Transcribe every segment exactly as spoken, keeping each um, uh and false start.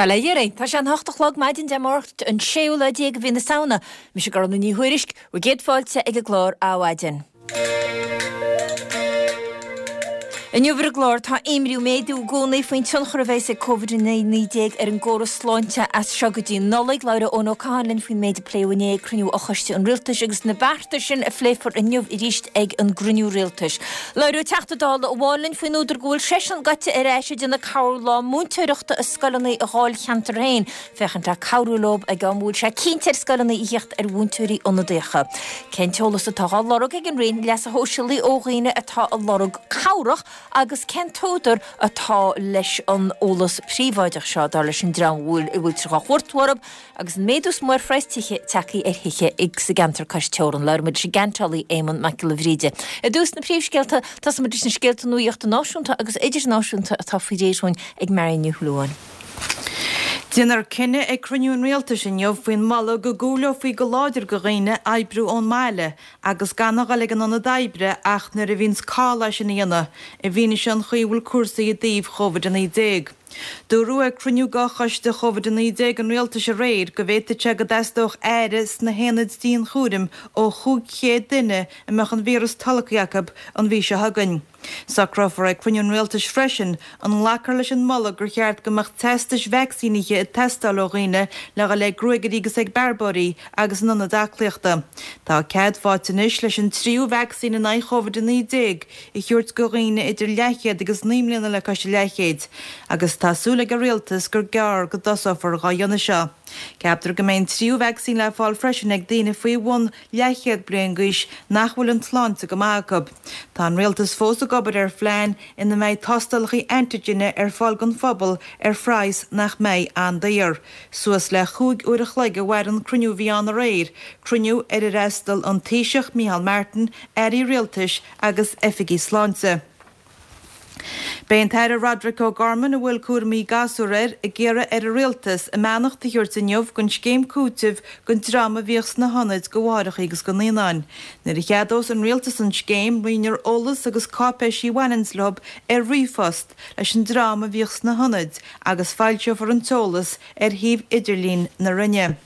Bail ó Dhia oraibh, tá sé an hocht a chlog maidin Dé Máirt an séú lá déag de mhí na Samhna. Mise Gormfhlaith Ní Thuairisg, bhur gcéad fáilte ag an gclár Adhmhaidin. Inniu ar an gclár tá imní ag méadú i gcónaí faoin tionchar a bheas ag Covid a naoi déag ar an gcóras sláinte as seo go dtí an Nollaig. Labhróidh Eoin Ó Catháin linn faoin méid a pléadh inné ag cruinniú fhochoiste an Rialtais agus na bearta sin a phléifear inniu arís ag an gcruinniú Rialtais. Labhróidh Teachta Dála amháin linn faoin údar go bhfuil seisean gaibhte ar ais ag déanamh corrlá múinteoireachta i scoileanna a dháilcheantar féin, féachaint le cabhrú leo ag am a bhfuil sé cinnte ar scoileanna a thíocht ar mhúinteoirí ionadaíocha. Cén t-eolas atá á lorg ag an Roinn Leasa Shóisialaigh ó dhaoine atá ag lorg cabhrach agus cén t-údar atá leis an eolas príobháideach seo, dar leis an dream a bhfuil a bhfuiltear á chuartú orthu agus an méadú is mó ar phraghas tithe tagtha ar thithe sa gceantar cois teorann. Labhróidh muid leis an gceantálaí Éamonn Mac Giolla Bhríde. I dtús na príomhscéalta, tosóidh muid leis na scéalta nuaíochta náisiúnta agus idirnáisiúnta atá faoi réir dhúinn ag Marion Ní Shúilleabháin. Déanfar cinneadh ag cruinniú an Rialtais inniu faoin moladh go gcúileofaí go láidir go dhaoine oibriú ón mbaile agus gan a dhul ag an ionad oibre ach nuair a bhíonns call é sin a dhéanamh, i bhfianaise an chaoi a bhfuil cúrsaí i dtaobh Chóivid a naoi déag. Dúradh ag cruinniú de Choiste Chóivid a naoi déag an Rialtais aréir go bhféadfadh sé go dteastódh aire sna haonaid dianchúraim ó chúig chéad duine a mbeadh an víreas tolgtha acu an mhí seo chugainn. Socrófar ag cruinniú an Rialtais freisin an nglacfar leis an moladh gur cheart go mbeadh teastais vacsaínithe ag teastáil ó dhaoine le dhul ag gruagairí agus ag bearbóirí agus in ionaid aclaíochta. Tá cead faighte anois leis an tríú vacsaín in aghaidh Chóivid a naoi déag a thabhairt go dhaoine idir leathchéad agus naoi mbliana le cois a leathchéid agus tá súil ag an Rialtas gur gearr go dtosófar dhá dhéanamh seo. Ceaptar go mbeidh an tríú vacsaín le fáil freisin ag daoine faoi bhun leathchéad bliain d'aois nach bhfuil an tsláinte go maith acu. Tá an rialtas fós ag obair ar phlean ina mbeidh tástálacha antigine ar fáil don phobal ar phraghas nach mbeidh an-daor. Suas le chúig uair a chloig a mhair an cruinniú a bhí ann aréir, cruinniú ar ar fhreastail an Taoiseach Micheál Martin, airí rialtais agus oifigigh sláinte. Beidh an tAire Roderic O'Gorman, a bhfuil cúraimí gasúr air, ag iarraidh ar an Rialtas a mbeannacht a thabhairt inniu don scéim cúitimh don dream a bhíodh sna hionaid do mháithreacha agus do naíonáin. Nuair a cheadós an Rialtas an scéim, roinnfear eolas agus cáipéisí a bhaineanns leo ar ríomhphost leis an dream a bhíodh sna hionaid agus foilseofar an t-eolas ar shuíomh idirlín na Roinne.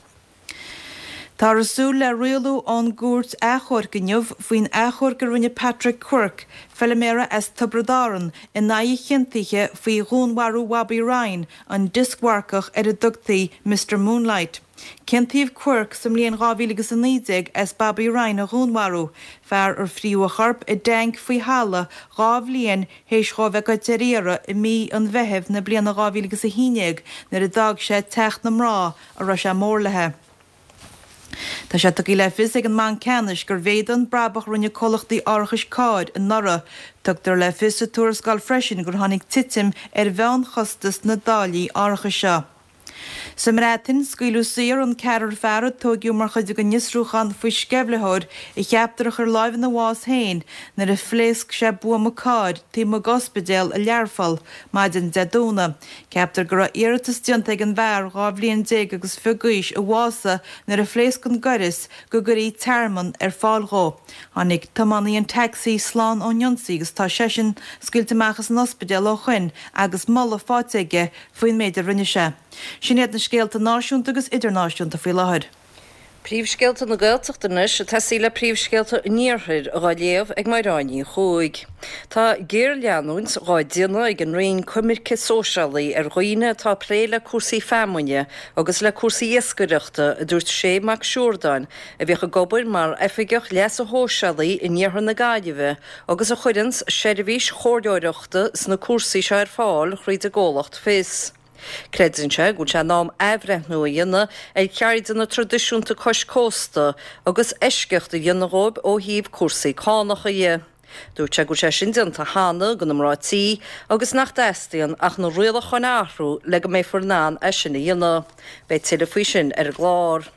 Táthar ag súil le rialú ón gCúirt Achomhairc inniu faoin achomharc a rinne Patrick Quirke, feiliméara as Tiobraid Árann, in aghaidh a chiontaithe faoi dhúnmharú Bhobby Ryan, an dioscmharcach ar a dtugtaí Mister Moonlight. Ciontaíodh Quirke sa mbliain dhá mhíle agus a naoi déag as Bobby Ryan a dhúnmharú, fear ar fríodh a chorp i dtanc faoi thalamh dhá bhliain théis dhó bheith goite ar iarraidh i mí an Mheithimh na bliana dhá mhíle agus a haon déag nuair a d'fhág sé teach na mná a raibh sé mór léi. Tá sé tugtha le fios ag an mBanc Ceannais gur mhéadaigh an brabach a rinne comhlachtaí árachais cairr anuraidh. Tugtar le fios sa tuarascáil freisin gur tháinig titim ar mheánchostas na dtáillí árachais seo. Sa mBreatain, scaoileadh saor an ceathrar fear a tóigeadh mar chuid den fhiosrúchán faoi sceimhlitheoir a cheaptar a chuir láimh ina bhás féin nuair a phléasc sé buama cairr taobh amuigh d'ospidéal i Learpholl maidin Dé Domhnaigh. Ceaptar go raibh iarratas déanta ag an bhfear dhá bhliain déag agus fiche d'aois a bhásaigh nuair a phléasc an gaireas go gcuirfí tearmann ar fáil dhó. Tháinig tiománaí an taxi slán ón ionsaí agus tá seisean scaoilte amach as an ospidéal ó shoin agus moladh faighte aige faoin méid a rinne sé. Sin iad na scéalta náisiúnta agus idirnáisiúnta faoi láthair. Príomhscéalta na Gaeltachta anois, ag tosaí le príomhscéalta an Iarthair dhá léamh ag Máire Ní Chuaig. Tá géarleanúint dhá déanamh ag an Roinn Coimirce Sóisialaí ar dhaoine atá ag plé le cúrsaí feamainne agus le cúrsaí iascaireachta, a dúirt Shay Mac Siúrdáin, a bhíodh ag obair mar Oifigeach Leasa Shóisialaí in Iarthar na Gaillimhe agus a chuireanns seirbhís chomhairleoireachta sna cúrsaí seo ar fáil thríd an gcomhlacht Fios. Creideann sé go bhfuil sé in am athbhreithniú a dhéanamh ar cheirdeanna traidisiúnta cois cósta agus eisceacht a dhéanamh dhóibh ó thaobh cúrsaí cánacha dhe. Dúirt sé go bhfuil sé sin déanta cheana do na mná tí agus nach dteastaíonn ach na rialacháin a athrú le go mbeifear in ann é sin a dhéanamh. Beidh tuilleadh faoi sin ar an gclár.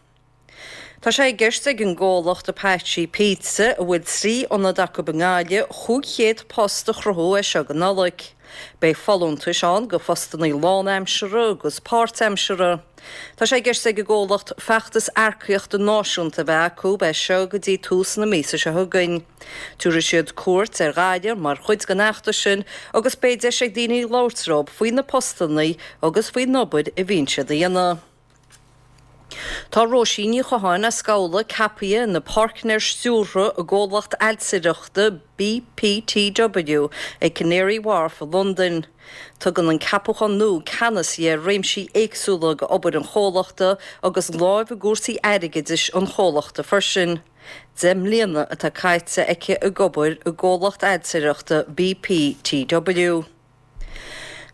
Tá sé i gceist ag an gcomhlacht Apache Pizza, a bhfuil trí ionad acu i nGaillimh, chúig chéad post a chruthú as seo go Nollaig. Beidh folúntais ann go phostanna lánaimseartha agus páirtaimseartha. Tá sé i gceist ag an gcomhlacht feachtas earcaíochta náisiúnta a bheith acu as seo go dtí tús na míosa seo chugainn. Tabharfaidh siad cuairt ar Ghaillimh mar chuid den fheachtas sin agus beidh deis ag daoine labhairt leo faoi na postanna agus faoin obair a bhíonn siad a dhéanamh. Tá Róisín Ní Chatháin as Gabhla ceaptha ina páirtnéir stiúrtha i gcomhlacht ailtireachta BPTW ag Canary Wharf i Londain. Tugann an ceapachán nua ceannas di ar réimsí éagsúla d'obair an chomhlachta agus lámh i gcúrsaí airgeadais an chomhlachta freisin. Deich mbliana atá caite aici ag obair i gcomhlacht ailtireachta BPTW.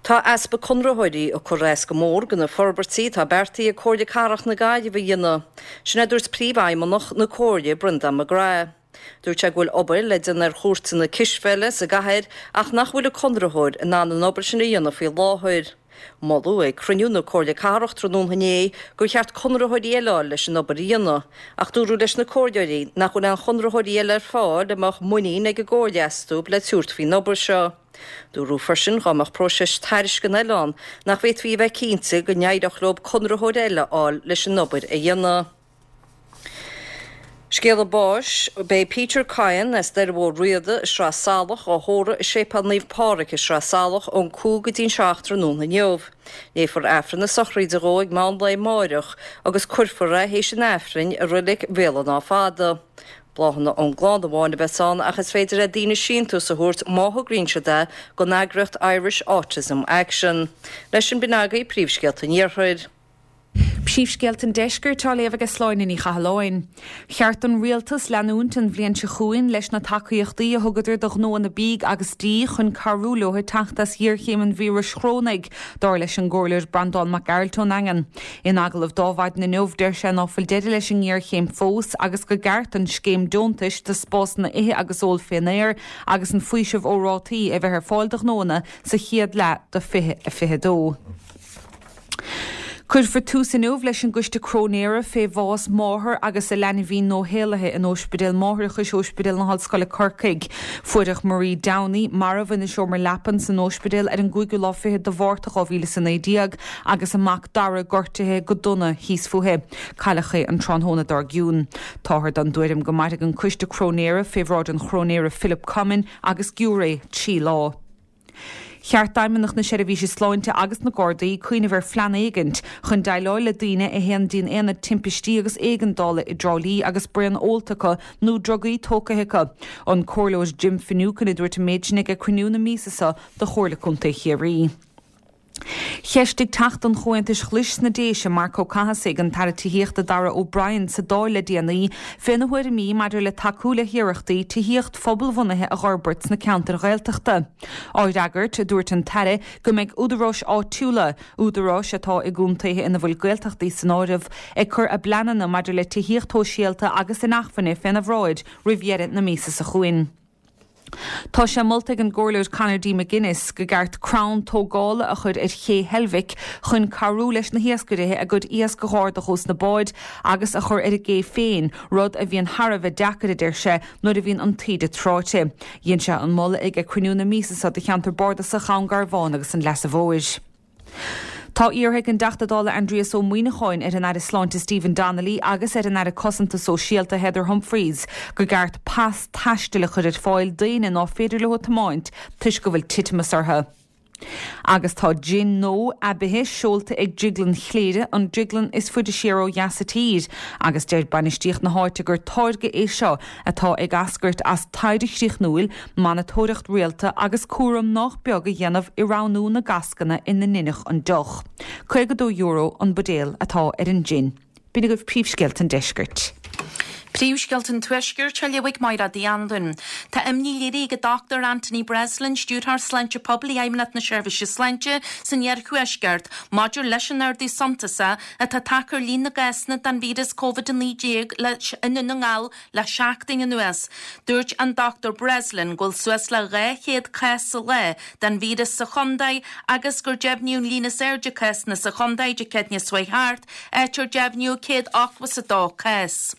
Tá easpa conraitheoirí ag cur as go mór do na forbairtí atá beartaithe ag Comhairle Cathrach na Gaillimhe a dhéanamh. Sin a dúirt Príomhfheidhmeannach na Comhairle, Brendan McGrath. Dúirt sé go bhfuil obair le déanamh ar chúirteanna cispheile sa gcathair ach nach bhfuil an conraitheoir in ann an obair sin a dhéanamh faoi láthair. Moladh ag cruinniú na Comhairle Cathrach tráthnóna inné gur cheart conraitheoirí eile a fháil leis an obair a dhéanamh, ach dúradh leis na comhairleoirí nach bhfuil aon chonraitheoirí eile ar fáil a mbeadh muinín ag an gComhairle astu le tabhairt faoin obair seo. Dúradh freisin dá mbeadh próiseas tairisceana eile ann nach bhféadfaí a bheith cinnte go n-éireodh leo conraitheoir eile a fháil leis an obair a dhéanamh. Scéala báis, Beidh Peter Kyan as Doire Mhór Riada i Sraith Salach á thórramh i Séipéal Naomh Pádraig i Sraith Salach ón cúig go dtí'n seacht tráthnóna inniu. Léifear Aifreann na sochraide dhó ag meán lae amáireach agus cuirfear é théis an Aifrinn i Reilig Bhéal an Átha Fada. Bláthanna ón gclann amháin a bheas ann ach is féidir le daoine síntiús a thabhairt má thograíonn siad é don eagraíocht Irish Autism Action. Leis sin b'in agaibh príomhscéalta an Iarthair. Príomhscéalta an Deiscirt á léamh ag Sláine Ní Chathalláin. Cheart don rialtas leanúint an bhliain seo chugainn leis na tacaíochtaí a thugadar do ghnóanna bídh agus dí chun cabhrú leo teacht as géarchéim an víris chorónaigh, dar leis an gComhairleoir Breandán Mac Gearailt ón nDaingean. In agallamh dó Adhmhaidin inniu deir sé ná fuil deireadh leis an ngéarchéim fós agus go gceart an scéim deontais do spásanna ithe agus ól fén aer agus an faoiseamh ó rátaí a bheith ar fáil do ghnóanna sa chéad leath de fiche a fiche dó. Cuirfear tús inniu leis an gcoiste cróinéara fé bhás máthar agus a leanbhín nuashaolaithe in Ospidéal Máithreachais Ospidéal na hOllscoile Corcaigh. Fuaireadh Marie Downey marbh ina seomra leapan san ospidéal ar an gcúigiú lá fichead de Mhárta dhá mhíle is a naoi déag agus a mac Dara gortaithe go dona thíos fúithi. Cailleadh é an tráthnóna dár gcionn. Táthar den dtuairim go mairfidh an coiste cróinéara fé bhráid an chróinéara Philip Comyn agus giúiré trí lá. Cheart d'Fheidhmeannacht na Seirbhíse Sláinte agus na Gardaí cuimhneamh ar phlean éigint chun déileáil le daoine a théann dtí'n aonad timpistí agus éigeandála i dTrá Lí agus braon ólta acu nó drugaí tógtha acu. An Comhairleoir Jim Finucane a dúirt an méid sin ag cruinniú na míosa seo de Chomhairle Contae Chiarraí. Cheistigh Teachta an Chomhaontais Ghlais sna Déise, Marc Ó Cathasaigh, an tAire Tithíochta Darragh O'Brien sa Dáil le déanaí féna thuairimí maidir le tacú le hiarrachtaí tithíocht phobalbhunaithe a dh'fhorbairt sna ceantair Ghaeltachta. Á fhreagairt, dúirt an tAire go mbeidh údaráis áitiúla, údaráis atá i gcontaetha ina bhfuil Gaeltachtaí san áireamh, ag cur a bpleananna maidir le tithíocht shóisialta agus inacmhainne féna bhráid roimh dheireadh na míosa seo chugainn. Tá sé molta ag an gComhairleoir Conor D. McGuinness go gceart crann tógála a chur ar ché Heilbhic chun cabhrú leis na hiascairithe a gcuid iasc a dh'ardach ós na báid agus a chur ar an gcé féin, rud a bhíonn thar a bheith deacair, a deir sé, nuair a bhíonn an taoide tráite. Dhein sé an moladh ag cruinniú na míosa seo de cheantar bardasach Dhún Garbhán agus an Leasa Mhóir. Tá iarrtha ag an dTeachta Dála Aindrias Ó Muimhneacháin ar an Aire Sláinte Stephen Donnelly agus ar an Aire Cosanta Sóisialta Heather Humphreys go gceart pas taistil a chur ar fáil d'éinne ná féidir leo tiomáint toisc go bhfuil titimeas orthu. Agus tá jin nua aibithe seolta ag Drioglann Chléire, an drioglann is faide siar ó dheas sa tír, agus deir bainistíocht na háite gur táirge é seo atá ag eascairt as taighde chríochnúil, monatóireacht rialta agus cúram nách beag a dhéanamh i roghnú na gcascanna ina ndeineadh an deoch. Caoga dó euro an buidéal atá ar an jin. B'in agaibh príomhscéalta an deiscirt. Príomhscéalta an Tuaiscirt á léamh ag Máire Uí Anluain. Tá imní léirithe ag an Dochtúir Anthony Breslin, Stiúrthóir Sláinte Poiblí Fheidhmeannacht na Seirbhíse Sláinte san Iarthuaisceart, maidir leis an ardú suntasach atá tagtha ar líon na gcásanna den víreas Covid a naoi déag i nDún na nGall le seachtain anuas. Dúirt an Dochtúir Breslin go bhfuil suas le dhá chéad cás sa lá den víreas sa chontae agus gur deimhníodh an líon is airde cásanna sa chontae Dé Céadaoine seo chuaigh thart, áit ar deimhníodh céad ochtó is a dó cás.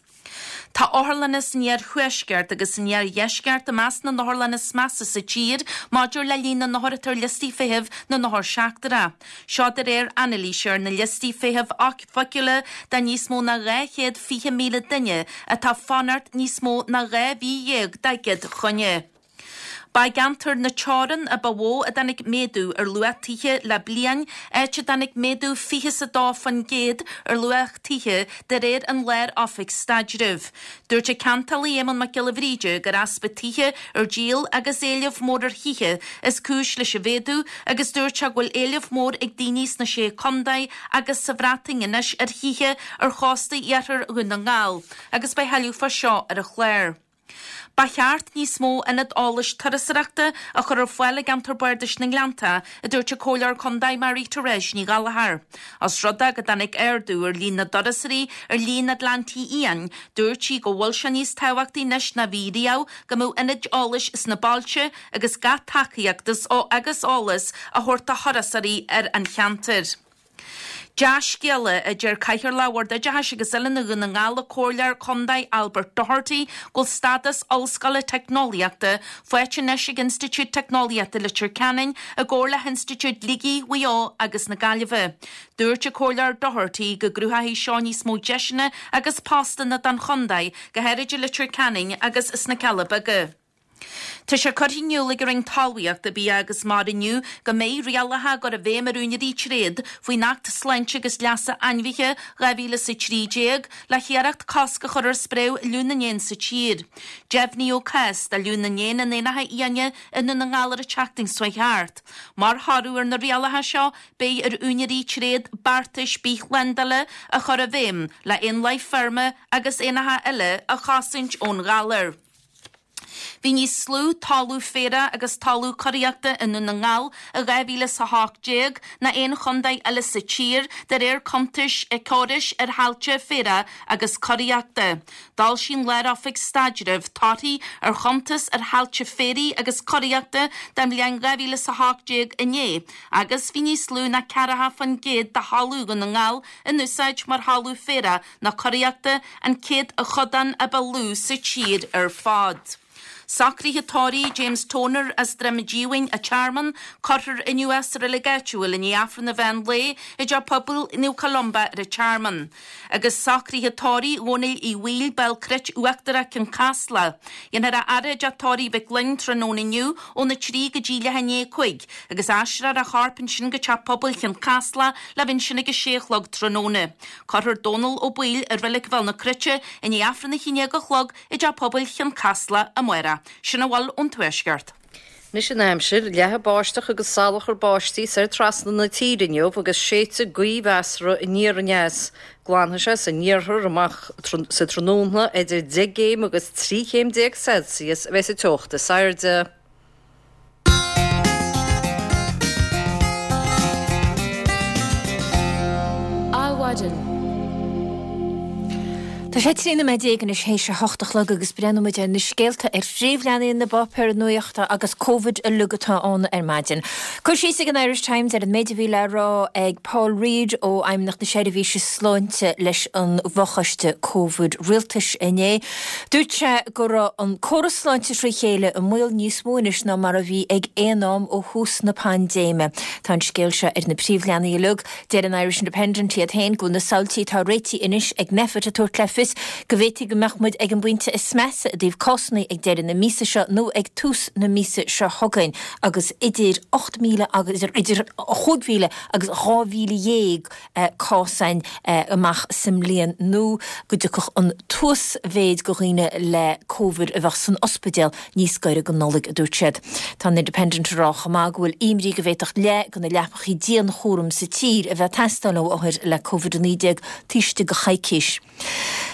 Tá otharlanna san iarthuaisceart agus san iardheisceart i measc na n-otharlanna is measa sa tír maidir le líon na n-othar atá ar liostaí feithimh na n-othar seachtrach. Seo de réir anailíse ar na liostaí feithimh oifigiúla de níos mó ná dhá chéad fiche míle duine atá ag fanacht níos mó ná dhá mhí dhéag dá gcéad choinne. Ba i gceantar na Teorann a ba mhó a dtáinig méadú ar luach tithe le bliain, áit a dtáinig méadú fiche is a dó faoin gcéad ar luach tithe de réir an Lár-Oifig Staidrimh. Dúirt an ceantálaí Éamonn Mac Giolla Bhríde gur easpa tithe ar díol agus éileamh mór ar thithe is cúis leis an mhéadú agus dúirt sé go bhfuil éileamh mór ag daoine sna Sé Chontae agus sa Bhreatain anois ar thithe ar chósta iarthar Dhún na nGall agus beidh tuilleadh fá seo ar an chlár. Ba cheart níos mó ionad eolais turasóireachta a chur ar fáil i gceantar Bardais na nGleannta, a dúirt an Comhairleoir Contae Marie Therese Ní Ghallchóir. Os rud é go dtáinig ardú ar líon na dturasóirí ar shlí na nGleanntaí Fhiáin, dúirt sí go bhfuil sé níos tábhachtaí anois ná bhí riamh go mbeadh ionaid eolais sna bailte agus gach tacaíocht agus eolas a thabhairt do thurasóirí ar an cheantar. Dea-scéala, a deir Cathaoirleach Bhord Oideachais agus Oiliúna Dhún na nGall, an Comhairleoir Contae Albert Doherty, go bhfuil stádas Ollscoile Teicneolaíochta faighte anois ag Institiúid Teicneolaíochta Leitir Ceanainn i gcomhar le hInstitiúid Shligigh, Mhaigh Eo agus na Gaillimhe. Dúirt an Comhairleoir Doherty go gcruthóidh seo níos mó deiseanna agus postanna don chontae, go háirid i Leitir Ceanainn agus sna Cealla Beaga. Tá sé curtha in iúl ag an Roinn Talmhaíochta, Bia agus Mara inniu go mbeidh rialacha á gcur i bhfeidhm ar úinéirí tréad faoin Acht Sláinte agus Leasa Ainmhithe dhá mhíle is a trí déag le hiarracht cosc a chur ar spréadh fhliú na n-éan sa tír. Deimhníodh cás de fhliú na n-éan in éanacha fiáine i nDún na nGall ar an tseachtain seo thart. Mar thoradh ar na rialacha seo beidh ar úinéirí tréad beartais bithshlándála a chur i bhfeidhm le éanlaith feirme agus éanacha eile a chosaint ón ghalar. Bhí níos lú talamh féaraigh agus talamh curaíochta i nDún na nGall i dhá mhíle is a hocht déag ná aon chontae eile sa tír, de réir cuntais Éiceachórais ar thailte féaraigh agus curaíochta. D'fhoilsigh an Lár-Oifig Staidrimh torthaí ar chuntas ar thailte féaraigh agus curaíochta don bhliain dhá mhíle is a hocht déag inné agus bhí níos lú ná ceathracha faoin gcéad de thalamh Dhún na nGall in úsáid mar thalamh féaraigh ná curaíochta, an céatadán a ba lú sa tír ar fad. Socruithe tórraimh James Toner as Droim Díomhaoin, an Tearmann, cuirfear inniu é sa reilig áitiúil i ndiaidh Aifreann an mheán lae i dTeach Pobail Naomh Columba ar an Tearmann. Agus socruithe tórraimh Dhónaill Uí Bhaoill, Béal Cruit Uachtarach, Cionn Caslach. Dhéanfar a fhaire i dTeach Tórraimh Mhic Fhloinn tráthnóna inniu óna trí go dtí leath i ndiaidh a cúig agus aistreofar a chorp ansin go Teach Pobail Chionn Caslach le bheith ansin ag a sé a chlog tráthnóna. Cuirfear Dónal Ó Baoill i reilig Bhéal na Cruite i ndiaidh Aifreann a haon déag a chlog i dTeach Pobail Chionn Caslach amárach. Sin a bhfuil ón Tuaisceart. Anois an aimsir, leathfaidh báisteach agus salachar báistí soir trasna na tíre inniu agus séidfidh gaoth mheasartha aniar aneas. Glanfaidh sé san iarthar amach sa tráthnóna idir deich gcéim agus trí chéim déag Celsius a bheidh sa teocht is airde. Adhmhaidin. Tá sé trí nóiméad déag anois théis a hocht a chlog agus breathnóidh muid ar na scéalta ar phríomhleathanaigh na bpáipéar nuachta agus Covid uilig atá ann ar maidin. Cur síos ag an Irish Times ar an méid a bhí le rá ag Paul Reid ó Fheidhmeannacht na Seirbhíse Sláinte leis an bhfochoiste Covid Rialtais inné. Dúirt sé go raibh an córas sláinte trí chéile i mbaol níos mó anois ná mar a bhí ag aon am ó thús na paindéime. Tá an scéal seo ar na príomhleathanaigh uilig. Deir an Irish Independent iad féin go bhfuil na samhaltaí atá réitithe anois ag Nphet ag tabhairt le fios go bhféadfaidh go mbeadh muid ag an bpointe is measa i dtaobh cásanna ag deireadh na míosa seo nó ag tús na míosa seo chugainn agus idir ocht míle agus idir chúig mhíle agus dhá mhíle dhéag cás ann amach sa mbliain nó go dtiocfadh an t-uasmhéid de dhaoine le Covid a bheadh san ospidéal níos gaire don Nollaig, a dúirt siad. Tá an Independent ag rá chomh maith go bhfuil imní go bhféadfadh leath de na leapacha dianchúraim sa tír a bheith ag teastáil ó othair le Covid a naoi déag taobh istigh de choicís.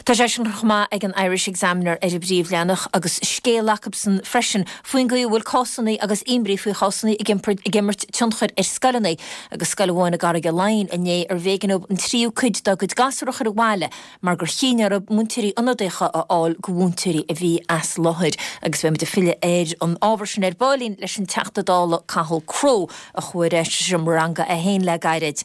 Tá sé sin chomh maith ag an Irish Examiner ar an bpríomhleathanach agus scéal acusan freisin faoin gcaoi a bhfuil cásanna agus imní faoi chásanna ag imirt tionchair ar scoileanna agus scoil amháin i gCarraig Laighin inné arbh éigean dóibh an tríú cuid dá gcuid gasúr a chur abhaile mar gur chinn orthu múinteoirí ionadaíocha a fháil do mhúinteoirí a bhí as láthair. Agus beidh muid ag filleadh ar an ábhar sin ar baillín leis an Teachta Dála Cathal Crowe a chuaigh ar ais sa seomra ranga é féin le gairid.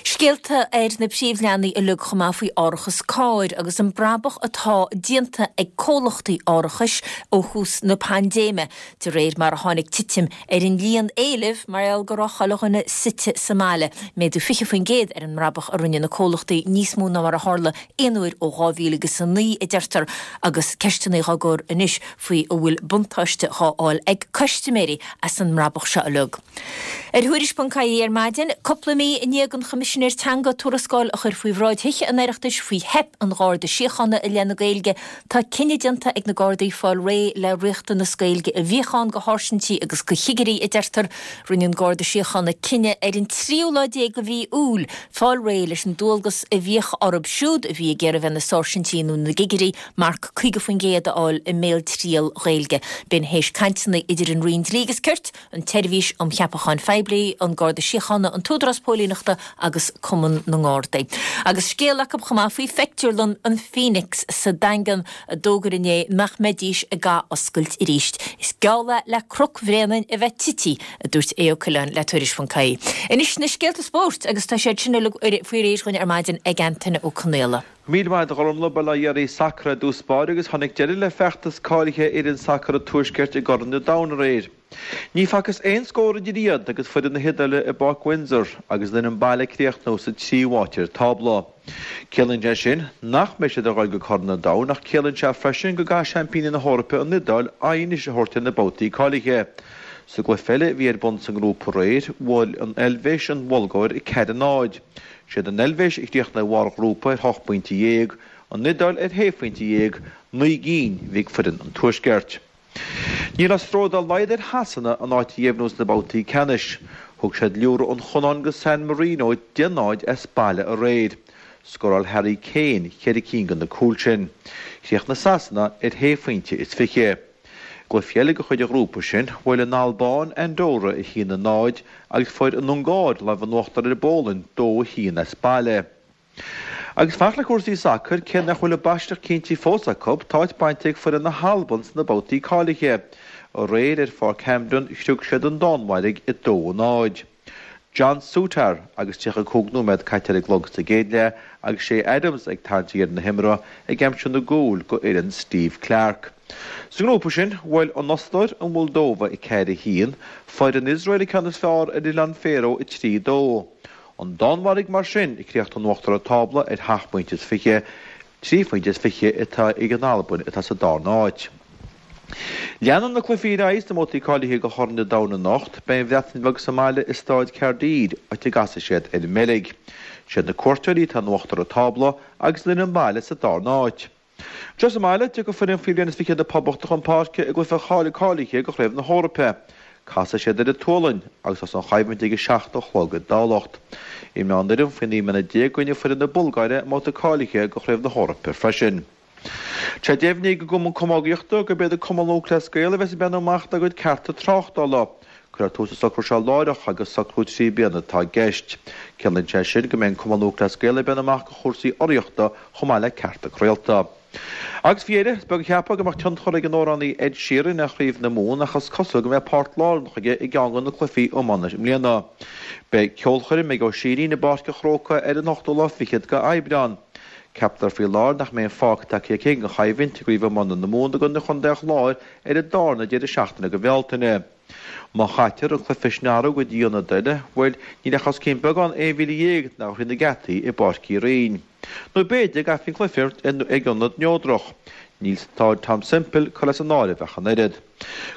Scéalta ar na príomhleathanaigh uilig chomh maith faoi árachas cairr agus an brabach atá déanta ag comhlachtaí árachais ó thús na paindéime, de réir mar a tháinig titim ar an líon éileamh mar gheall go raibh chuile dhuine suite sa mbaile. Méadú fiche faoin gcéad ar an mbrabach a rinne na comhlachtaí, níos mó ná mar a tharla aon uair ó dhá mhíle agus a naoi, a deirtear, agus ceisteanna á gcur anois faoi an bhfuil buntáiste á fháil ag custaiméirí as an mbrabach seo uilig. Ar Thuairisc ponc ie ar maidin, cúpla mí i ndiaidh don Choimisinéir Teanga tuarascáil a chur faoi bhráid Thithe an Oireachtais faoi theip an Gharda Síochána i leith na Gaeilge, tá cinneadh déanta ag na Gardaí fáil réidh le riachtanas Gaeilge a bhíodh ann do sháirsintí agus do chigirí, a deirtear. Rinne an Garda Síochána cinneadh ar an tríú lá déag de mhí Iúil fáil réidh leis an dualgas a bhíodh orthu siúd a bhí ag iarraidh bheith ina sáirsintí nó ina gcigirí marc caoga faoin gcéad a fháil i mbéaltriail Ghaeilge. B'in théis cainteanna idir an Roinn Dlí agus Cirt, an tSeirbhís um Cheapacháin Phoiblí, an Garda Síochána, an tÚdarás Póilíneachta agus Cumann na nGardaí. Agus scéal acu chomh maith faoi phictiúrlann an Phoenix sa Daingean a d'fhógair inné nach mbeidís ag athoscailt arís. Is geall é le Cnoc Bhréanainn a bheith tití, a dúirt Aodh Ó Coileáin le Tuairisc ponc ie. Anois na scéalta spóirt agus tá siad sin uilig faoi réir dhúinn ar maidin ag Antaine Ó Conaola. Míle maith agat a Ghormfhlaith, ba lá deiridh sacair i dtús báire agus tháinig deireadh le feachtas cáilithe fhoireann sacair an Tuaiscirt i gCorn an Domhain aréir. Ní facthas aon scór idir iad agus foireann na hIodáile i bPáirc Windsor agus an fhoireann baile ag críochnú sa tríú háit ar an tábla. Ciallaíonn sé sin nach mbeidh siad ag dul go Corn an Domhain ach ciallaíonn sé freisin go gcaithfidh seaimpíní na hEorpa an Iodáil aghaidh anois a thabhairt ar na babhtaí cáilithe. Sa gcluiche eile a bhí ar bun sa ngrúpa aréir, bhuail an Eilvéis an Bhulgáir a ceathair a náid. Siad an Eilvéis a chríochnaigh ar bharr an ghrúpa ar hocht bpointe dhéag, an Iodáil ar shé phointe dhéag, naoi gcinn a bhí ag foireann an Tuaiscirt. Ní raibh stró dá laghad ar Shasana a n-áit a dheimhniú sna babhtaí ceannais. Thug siad liúradh an Chonnáin go San Marino deich náid as baile aréir. Scóráil Harry Kane ceithre cinn de na cúil sin. Chríochnaigh Sasana ar shé phointe is fiche. I gcluiche eile de chuid an ghrúpa sin, bhuail an Albáin Andorra a haon a náid agus fuair an Ungáir lámh in uachtar ar an bPólainn dó a haon as baile. Agus fanacht le cúrsaí sacair, cé nach bhfuil a bpaiseach cinnte fós acu, tá áit bainte ag foireann na hAlban sna babhtaí cáilithe. Aréir ar Pháirc Hampden, shroich siad an Danmhairg a dó a náid. John Souttar agus tríocha cúig nóiméad caite ar an gclog sa gcéad leath agus Che Adams ag tarraingt dheireadh na himeartha ag aimsiú na gcúl go fhoireann Steve Clarke. Sa ngrúpa sin, bhuail an Ostair an Mholdóva a ceathair a haon, fuair an Iosrael an ceann is fearr ar Oileáin Faeró a trí a dó. An Danmhairg mar sin ag críochnú in uachtar an tábla ar sheacht bpointe is fiche, trí phointe is fiche atá ag an Albain atá sa darna háit. Leanann na cluichí ar aghaidh sna babhtaí cáilithe do Chorn an Domhain anocht. Beidh an Bhreatain Bheag sa mbaile i Staid Caerdydd, áit a gcasfaidh siad ar an mBeilg. Siad na cuairteoirí atá in uachtar an tábla agus an fhoireann baile sa darna háit. Anseo sa mbaile, tiocfaidh foireann faoi bhliain is fiche na Poblachta chun páirce i gcluiche cáilithe do Chraobh na hEorpa. Casfaidh siad ar an tSualainn agus tosóidh an choimhlint ag a seacht a chlog i dTamhlacht. Imreoidh an fhoireann faoi naoi mbliana déag i gcoinne foireann na Bulgáire i mbabhta cáilithe do Chraobh na hEorpa freisin. Tá deimhnithe ag an gCumann Camógaíochta gurb iad an Cumann Lúthchleas Gael a bheas ag breathnú amach dá gcuid cearta tráchtála. Cuirfear tús leis an socrú seo láithreach agus socrú trí bliana atá i gceist. Ciallaíonn sé sin go mbeidh an Cumann Lúthchleas Gael ag breathnú amach do chúrsaí urraíochta chomh maith le cearta craolta. Agus faoi dheireadh, is beag a cheapfadh go mbeadh tionchar ag an amhránaí Ed Sheeran ar Chraobh na Mumhan ach is cosúil go mbeidh páirt lárnach aige i gceann de na cluichí iomána i mbliana. Beidh ceolchoirm ag Ó Sírín i bPáirc an Chrócaigh ar an ochtú lá fichead de Aibreán. Ceaptar faoi láthair nach mbeidh aon fág tagtha aici ag an choimhlint i gCraobh Iomána na Mumhan i gcoinne Chontae an Chláir ar an darna deireadh seachtaine de Bhealtaine. Má chaitear an cluiche sin a athrú go dtí ionad eile, bhuel, níl ach os cionn beagán aon mhíle dhéag nach thrí na geataí i bPáirc Uí Rinn. Nó b'fhéidir go gcaithfí an cluiche a imirt ag ionad neodrach. Níl Staid Tom Semple curtha as an áireamh ach an oiread.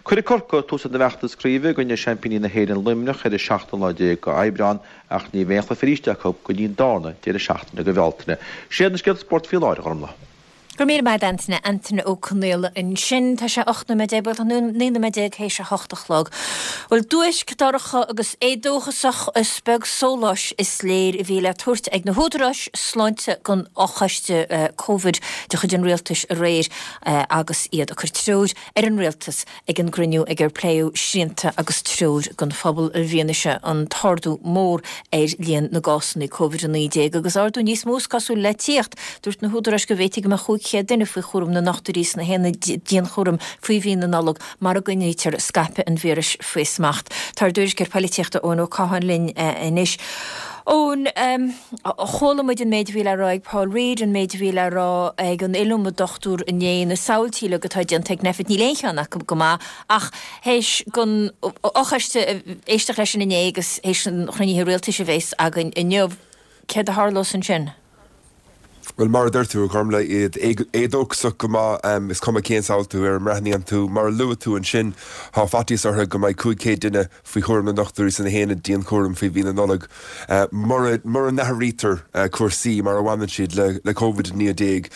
Cuirfidh Corcaigh tús lena bhfeachtas craoibhe i gcoinne seaimpíní na hÉireann Luimneach ar an seachtú lá déag de Aibreán ach ní bheidh aon chluiche arís acu go dtí an darna deireadh seachtaine de Bhealtaine. Sin iad na scéalta spóirt faoi láthair, a Ghormfhlaith. Go raibh míle maith agat Antaine, Antaine Ó Conaola ansin. Tá sé ocht nóiméad déag, bhuel tá naoi nóiméad déag théis a hocht a chlog. Bhuel, duaisc, dorcha agus éadóchasach, is beag sóláis is léir a bhí le tabhairt ag na húdaráis sláinte don fhochoiste Covid de chuid an rialtais aréir agus iad ag cur treoir ar an rialtas ag an gcruinniú ag ar pléadh srianta agus treoir don phobal i bhfianaise an t-ardú mór ar líon na gcásanna Covid a naoi déag agus ardú níos mó is cosúil le tíocht. Dúirt na húdaráis go bhféadfaí go mbeadh cúig chéad duine faoi chúram na ndochtúirí sna haonaid dianchúraim faoi mhí na Nollag mura gcoinnítear scaipeadh an víris faoi smacht. Tá ár dtuairisceoir polaitíochta Eoin Ó Catháin linn anois. Eoin, chuala muid an méid a bhí le rá ag Paul Reid, an méid a bhí le rá ag an iliomad dochtúir inné, na samhaltaí uilig atá déanta ag Nphet, níl aon cheann acu go maith ach théis don fhochoiste éisteacht leis sin inné agus théis an chruinnithe rialtais a bheas againn inniu, céard a tharlós ansin? Bhuel, mar a deir tú, a Ghormlaith, iad éadóchasach go maith, is cuma cén samhaltú ar a mbreathnaíonn tú. Mar a luaigh tú ansin, tá faitíos orthu go mbeidh cúig chéad duine faoi chúram na ndochtúirí sna haonaid dianchúraim faoi mhí na Nollag mura mura n-athraítear cúrsaí mar a bhaineann siad le le Covid a naoi déag.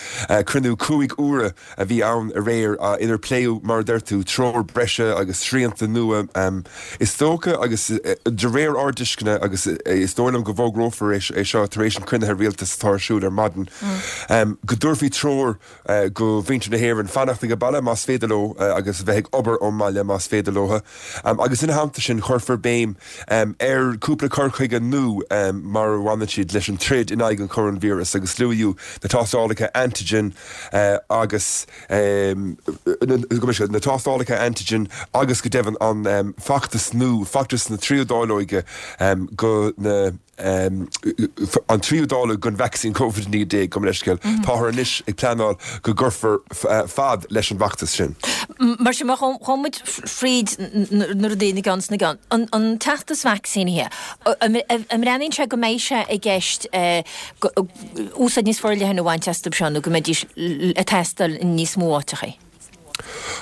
Cruinniú cúig uaire a bhí ann aréir inar pléadh, mar a deir tú, treoir breise agus srianta nua. Is dócha, agus de réir ár dtuisceana, agus is dóigh liom go bhfógrófar é seo tar éis an chruinnithe rialtais atá ar siúl ar maidin, go dtabharfaí treoir go mhuintir na hÉireann fanacht ag baile más féidir leo agus a bheith ag obair ón mbaile más féidir leo. Agus ina theannta sin cuirfear béim ar cúpla cur chuige nua mar a bhaineann siad leis an troid in aghaidh an choróinvíreas agus luadh na tástálacha antigen agus na tástálacha antigen agus go deimhin an feachtas nua, feachtas na tríú dáileoige go na an tríú dáileog den vacsaín Covid a naoi déag, gabh mo leithscéal. Táthar anois ag pleanáil go gcuirfear fad leis an bhfeachtas sin. Mar sin, má chuaigh muid fríd na rudaí ina gceann is ina gceann, an feachtas vacsaínithe, an mbreathnaíonn sé go mbeidh sé i gceist úsáid níos forleithne a bhaint astu seo nó go mbeidís ag teastáil in níos mó áiteachaí?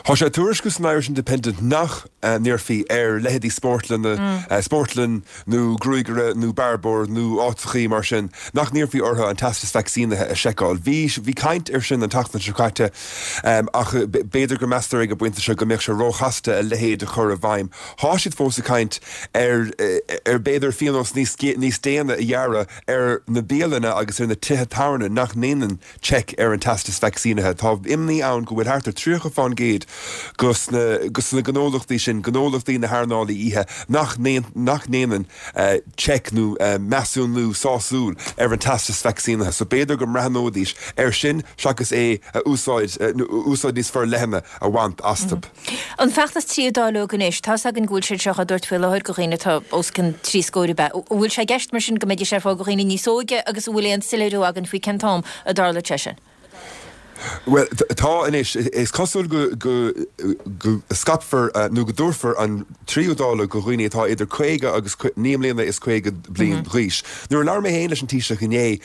Tá sé á tuairisciú san Irish Independent nach n-iarrfaí ar leithéidí spórtlanna, spórtlann nó gruagaire nó bearbóir nó áiteachaí mar sin, nach n-iarrfaí orthu an teastas vacsaínithe a sheiceáil. Bhí bhí caint air sin an tseachtain seo caite ach b'fhéidir go meastar ag an bpointe seo go mbeadh sé róchasta a leithéid a chur i bhfeidhm. Tá siad fós ag caint ar ar b'fhéidir phionós níos níos déine a ghearradh ar na bialanna agus ar na tithe tábhairne nach ndéanann seic ar an teastas vacsaínithe. Tá imní ann go bhfuil thart ar tríocha fán gcéad dos na dos na gnólachtaí sin, gnólachtaí na hearnála oíche, nach nach ndéanann seic nó measúnú sásúil ar an teastas vacsaínithe. So b'fhéidir go mbreathnóidís air sin seachas é a úsáid nó úsáid níos forleithne a bhaint astu. An feachtas tríú dáileog anois, tá's againn go bhfuil siad seo á dtabhairt faoi láthair go dhaoine atá os cionn trí scór ab ea? An bhfuil sé i gceist mar sin go mbeidís ar fáil go dhaoine níos óige agus an bhfuil aon soiléiriú againn faoi cén t-am a dtarlóidh sé sin? Bhuel, tá anois. Is cosúil go go go scaipfear nó go dtabharfar an tríú dáileog go dhaoine atá idir caoga agus naoi mbliana is caoga bliain d'aois. Nuair a labhair mé féin leis an Taoiseach inné,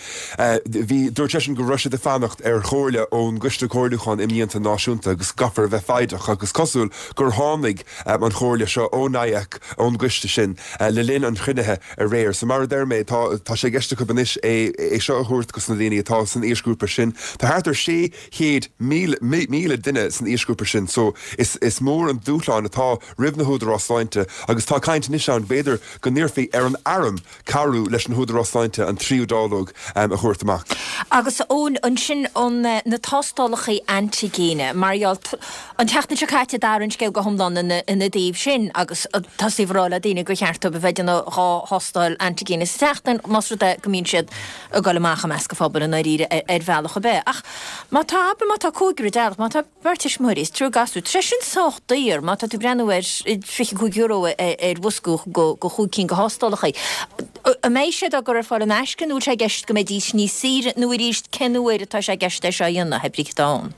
bhí, dúirt seisean go raibh siad ag fanacht ar chomhairle ón gCoiste Comhairliúcháin Imdhíonta Náisiúnta agus go gcaithfear a bheith foighdeach ach is cosúil gur tháinig an chomhairle seo ó NIAC, ón gcoiste sin, le linn an chruinnithe aréir. So mar a deir mé, tá tá sé i gceist acu anois é é seo a thabhairt dos na daoine atá san aoisghrúpa sin. Tá thart ar sé chéad míle míle duine san aoisghrúpa sin so is is mór an dúshlán atá roimh na húdaráis sláinte agus tá caint anois ann b'fhéidir go n-iarrfaí ar an Arm cabhrú leis na húdaráis sláinte an tríú dáileog a thabhairt amach. Agus Eoin, ansin an na tástálacha antaigine, mar gheall, an tseachtain seo caite d'athraigh an scéal go hiomlán ina ina dtaobh sin agus tosaíodh ag rá le daoine gur cheart dóibh a bheith ag déanamh dhá thástáil antaigine sa tseachtain más rud é go mbíonn siad ag dul amach i measc an phobail i ndáiríre ar bhealach ar bith. Ach má tá, abair má tá cúigear i dteaghlach, má tá beirt tuismitheoirí is triúr gasúr, tá sé sin sách daor má tá tú ag breathnú ar fiche cúig euro ar bhosca go chúig cinn de thástálacha. An mbeidh siad á gcur ar fáil in aisce nó bhfuil sé i gceist go mbeidís níos saoire nó arís cén uair atá sé i gceist é seo a dhéanamh, hé brí cad tá ann?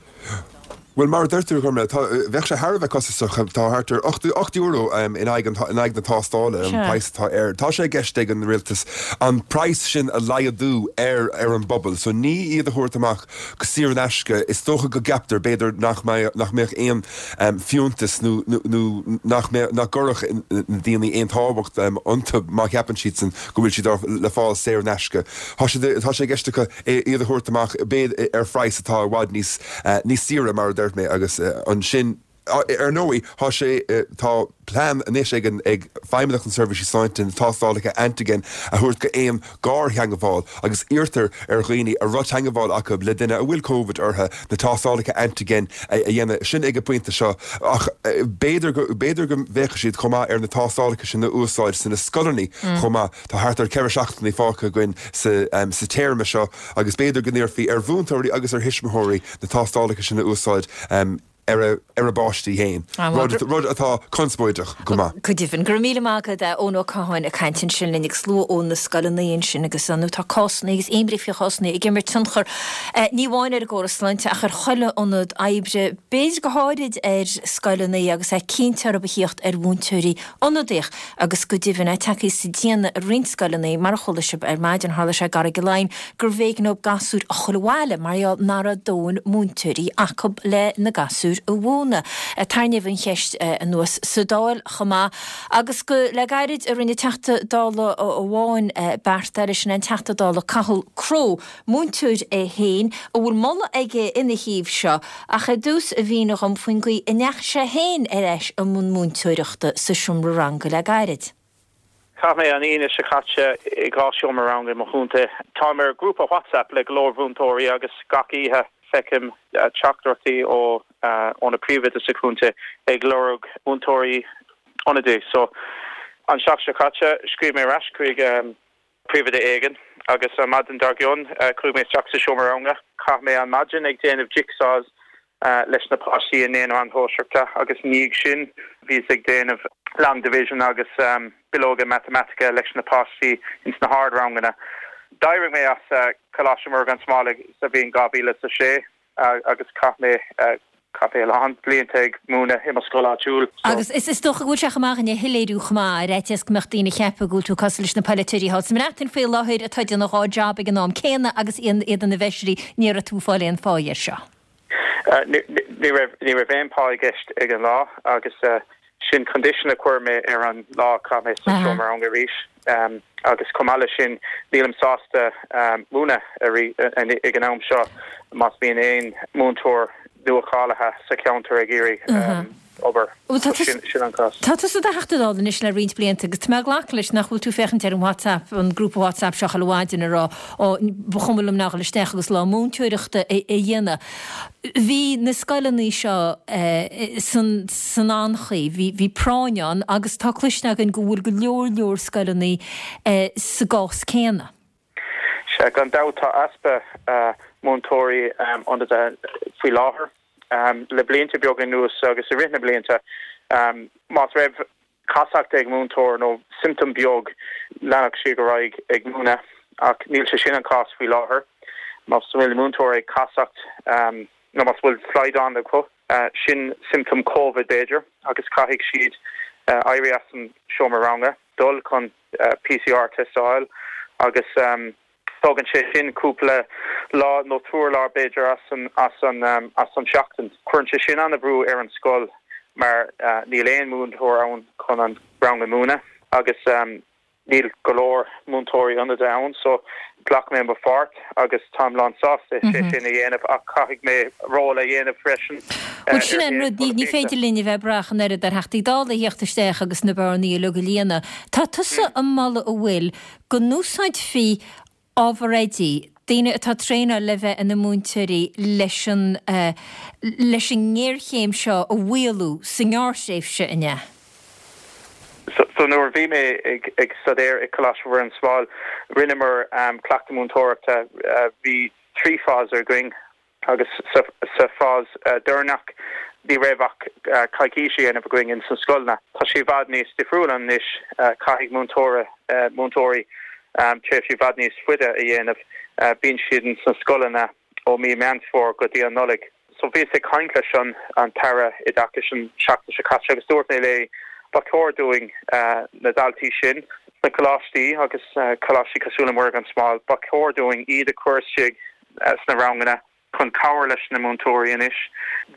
Bhuel, mar a deir tú, a Ghormlaith, tá, bheadh sé thar a bheith costasach. Tá thart ar ocht, ocht euro in aghaidh an, in aghaidh na tástála, an praghas atá air. Tá sé i gceist ag an rialtas an praghas sin a laghdú ar, ar an bpobal. So ní iad a thabhairt amach go saor in aisce. Is dócha go gceaptar, b'fhéidir, nach mbeadh, nach mbeadh aon fiúntas nó, nó, nó nach mbeadh, nach gcuirfeadh na daoine aon tábhacht iontu má cheapann siadsan go bhfuil siad á, le fáil saor in aisce. Tá siad, tá sé i gceist acu iad a thabhairt amach, b'fhéidir, ar phraghas atá i bhfad níos, níos saoire, mar a deir mé, agus ansin Ar ndóigh, tá sé, tá plean anois ag an, ag Feidhmeannacht na Seirbhísí Sláinte na tástálacha antigen a thabhairt go aon gartheangmháil agus iarrtar ar dhaoine a raibh teangmháil acu le duine a bhfuil Covid orthu na tástálacha antigen a dhéanamh. Sin ag an bpointe seo ach b'fhéidir go, b'fhéidir go bhféachfaidh siad chomh maith ar na tástálacha sin a úsáid sna scoileanna chomh maith. Tá thart ar ceithre seachtainí fágtha againn sa, sa téarma seo agus b'fhéidir go n-iarrfaí ar mhúinteoirí agus ar thuismitheoirí na tástálacha sin a úsáid ar a ar a bpáistí féin, rud rud atá conspóideach go maith. Go deimhin. Go raibh míle maith agat, Eoin Ó Catháin ag caint ansin linn agus slua ó na scoileanna ansin agus nó tá cásanna agus imní faoi chásanna ag imirt tionchar ní amháin ar an gcóras sláinte ach ar chuile ionad oibre, b'fhéidir go háirid ar scoileanna agus é cinnte orthu a thíocht ar mhúinteoirí ionadaíoch agus go deimhin é tagtha sa déanamh i roinnt scoileanna mar a chuala sibh ar maidin tharla sé i gCarraig Laighin gurbh éigean dóibh gasúir a chur abhaile mar gheall nach raibh dóthain múinteoirí acu le na gasúir a mhúineadh. Tarraingíodh an cheist anuas sa Dáil chomh maith agus go le gairid a rinne Teachta Dála amháin beart eile, sin an Teachta Dála Cathal Crowe, múinteoir é féin, a bhfuil moladh aige ina thaobh seo ach ar dtús a mhínigh dhom faoin gcaoi a ndeachaigh sé féin ar ais i mbun múinteoireachta sa seomra ranga le gairid. Chaith mé an Aoine seo caite i dhá seomra ranga i mo chontae. Táim ar grúpa WhatsApp le go leor mhúinteoirí agus gach oíche feicim teachtaireachtaí ó ó na príomhoidí sa chontae ag lorg múinteoirí ionadaí. So an seachtain seo caite scríobh mé ar ais chuig príomhoide éigin agus an maidin dár gcionn chuaigh mé isteach sa seomra ranga. Chaith mé an maidin ag déanamh jigsaws leis na páistí i naíonáin shóisearacha agus i ndiaidh sin bhíos ag déanamh long division agus bileoga matamaitice leis na páistí ins na hardranganna. D'éirigh mé as Coláiste Mhuire gan Smál sa bhliain dhá mhíle is a sé agus chaith mé chaith mé a lán blianta ag múineadh i mo scoil áitiúil. Agus is dócha go bhfuil sé chomh maith againn a shoiléiriú chomh maith, ar fhaitíos go mbeadh daoine ag ceapadh go bhfuil tú cosúil leis na polaiteoirí thall sa mBreatain faoi láthair atá ag déanamh dhá job ag an am céanna agus iad ina bhfeisirí, ní raibh tú ag fáil aon phá air seo. Ní raibh ní raibh aon phá i gceist ag an lá agus sin condition a chuir mé ar an lá a chaith mé sa seomra ranga arís agus chomh maith leis sin nílim sásta múineadh ag an am seo más bíonn aon múinteoir nua-cháilithe sa cheantar ag iarraidh obair. Sin sin an cás. Tá tusa i do Theachta Dála anois le roinnt blianta agus tá mé ag glacadh leis nach bhfuil tú ag féachaint ar an WhatsApp, an grúpa WhatsApp seo chuile mhaidin ag rá ó ba chuma liom nach dhul isteach agus lá múinteoireachta a dhéanamh. Bhí na scoileanna seo san san anchaoi, bhí bhí práinn ann agus tá cloiste againn go bhfuil go leor leor scoileanna sa gcás céanna. Sea, gan dabht tá easpa múinteoirí ionadaithe faoi láthair. Le blianta beaga anuas agus i rith na blianta, más raibh casacht ag múinteoir nó siomptóm beag, leanfadh siad ar aghaidh ag múineadh ach níl sé sin an cás faoi láthair. Más bhfuil múinteoir ag casacht nó más bhfuil slaghdán acu, sin siomptóm Covid b'fhéidir agus caithfidh siad éirí as an seomra ranga, dul chun PCR test a fháil agus Tógann sé sin cúpla lá nó triúr lá b'fhéidir as an as an as an seachtain. Cuireann sé sin an-bhrú ar an scoil mar níl aon múinteoir ann chun an rang a mhúineadh agus níl go leor múinteoirí ionadaithe ann so ghlac mé mo pháirt agus táim lán sásta sé sin a dhéanamh ach caithfidh mé ról a dhéanamh freisin Bhuel sin an rud, ní féidir linn a bheith ag brath an oiread ar Theachtaí Dála a theacht isteach agus na bearnaí uilig a líonadh. Tá tusa ag moladh an bhfuil go n-úsáidfí ábhar oidí, daoine atá traenáilte le bheith ina múinteoirí leis an leis an ngéarchéim seo a mhaolú sa ngearrthréimhse, an ea? So nuair a bhí mé ag ag staidéar i Coláiste Mhuire gan Smál, rinneamar cleachtadh múinteoireachta, bhí trí phase againn. Agus sa phase deireanach ní raibh ach coicís a dhéanamh againn ins na scoileanna. Tá sé i bhfad níos difriúil anois, caithfidh múinteoirí múinteoirí tréimhsí i bhfad níos faide a dhéanamh. Bíonn siad ins na scoileanna ó mí Meán Fómhair go dtí an Nollaig. So bhíos ag caint leis an an tAire Oideachais an seachtain seo caite agus dúirt mé léi ba chóir dúinn na daltaí sin sna coláistí agus coláistí cosúil le Muire gan Smál, ba chóir dúinn iad a chur istigh sna ranganna chun cabhair leis na múinteoirí anois.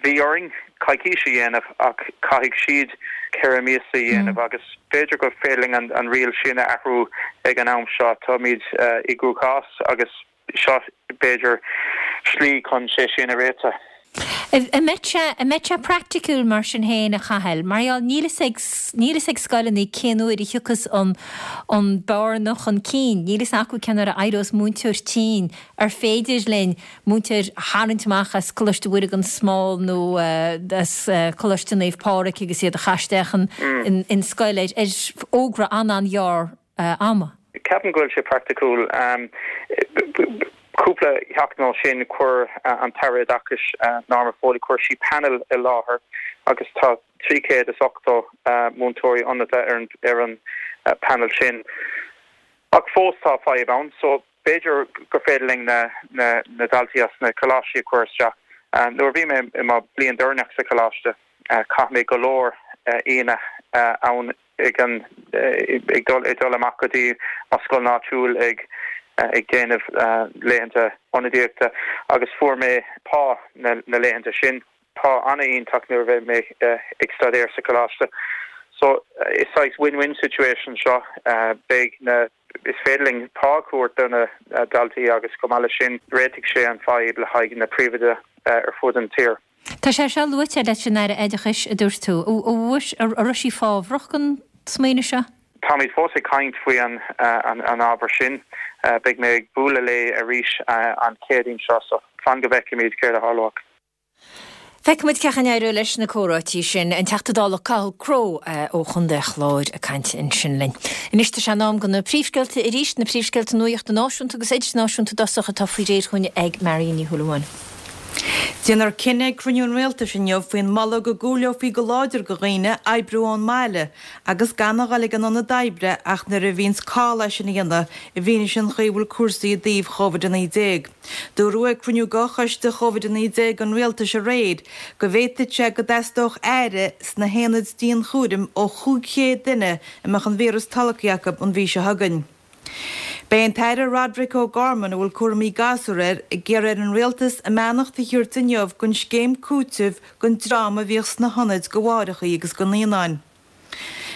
Bhí orainn coicís a dhéanamh ach caithfidh siad ceithre míosa a dhéanamh agus b'fhéidir gur féidir linn an riail sin a athrú ag an am seo. Táimid i gcruachás agus seo b'fhéidir slí chun sé sin a réiteach. An mbeidh sé, an mbeidh sé praiticiúil mar sin féin, a Chathail? Mar gheall, níl fhios ag, níl fhios ag scoileanna cén uair a thiocfas an, an bearna chun cinn. Níl fhios acu cén uair a éireos múinteoir tinn. Ar féidir linn múinteoir a tharraingt amach as Coláiste Mhuire gan Smál nó as Coláiste Naomh Pádraig agus iad a chur isteach in, in, in scoil ar, ar fhógra an-an-ghearr ama? Ceapaim go bhfuil sé praiticiúil. Cúpla seachtain ó sin chuir an tAire Oideachais Norma Foley, chuir sí panel i láthair agus tá trí chéad is ochtó múinteoirí ionadaithe ar an panel sin. Ach fós tá fadhb ann so b'fhéidir gur féidir linn na daltaí as na coláistí a chur isteach. Nuair a bhí mé i mo bliain deireanach sa choláiste chaith mé go leor Aoine ann ag an ag dul ag dul amach go dtí mo scoil áitiúil ag ag déanamh laethanta ionadaíochta agus fuair mé pá na na laethanta sin, pá an-iontach nuair a bhí mé ag staidéar sa choláiste. So is saghas win-win situation seo, beidh na is féidir linn pá a thabhairt do na daltaí agus chomh maith leis sin réitigh sé an fadhb le haghaidh na príomhoide ar fud an tír. Tá sé seo luaite leis an Aire Oideachais, a dúirt tú. An raibh sí fábhrach don smaoineamh seo? Táimid fós ag caint faoi an an ábhar sin. Beidh mé ag bualadh léi arís an Chéadaoin seo, so fan go bhfeicfimid céard a tharlóidh. Feicfimid cén chaoi a n-éireoidh leis na comhráití sin. An Teachta Dála Cathal Crowe ó Chontae an Chláir ag caint ansin linn. Anois tá sé in am do na príomhscéalta arís, na príomhscéalta nuachta náisiúnta agus idirnáisiúnta i dtosach atá faoi réir chugainn ag Marion Ní Shúilleabháin. Déanfar cinneadh ag cruinniú an Rialtais inniu faoin moladh go gcúileofaí go láidir go dhaoine oibriú ón mbaile agus gan a dhul ag an ionad oibre ach nuair a bhíonns call é sin a dhéanamh i bhfianaise an chaoi a bhfuil cúrsaí i dtaobh Chóivid a naoi déag. Dúradh ag cruinniú de Choiste Chóivid a naoi déag an Rialtais aréir go bhféadfadh sé go dteastódh aire sna haonaid dianchúraim ó chúig chéad duine a mbeadh an víreas tolgtha acu an mhí seo chugainn. Beidh an tAire Roderic O'Gorman, a bhfuil cúraimí gasúr air, ag iarraidh ar an Rialtas a mbeannacht a thabhairt inniu don scéim cúitimh don dream a bhíodh sna hionaid do mháithreacha agus do naíonáin.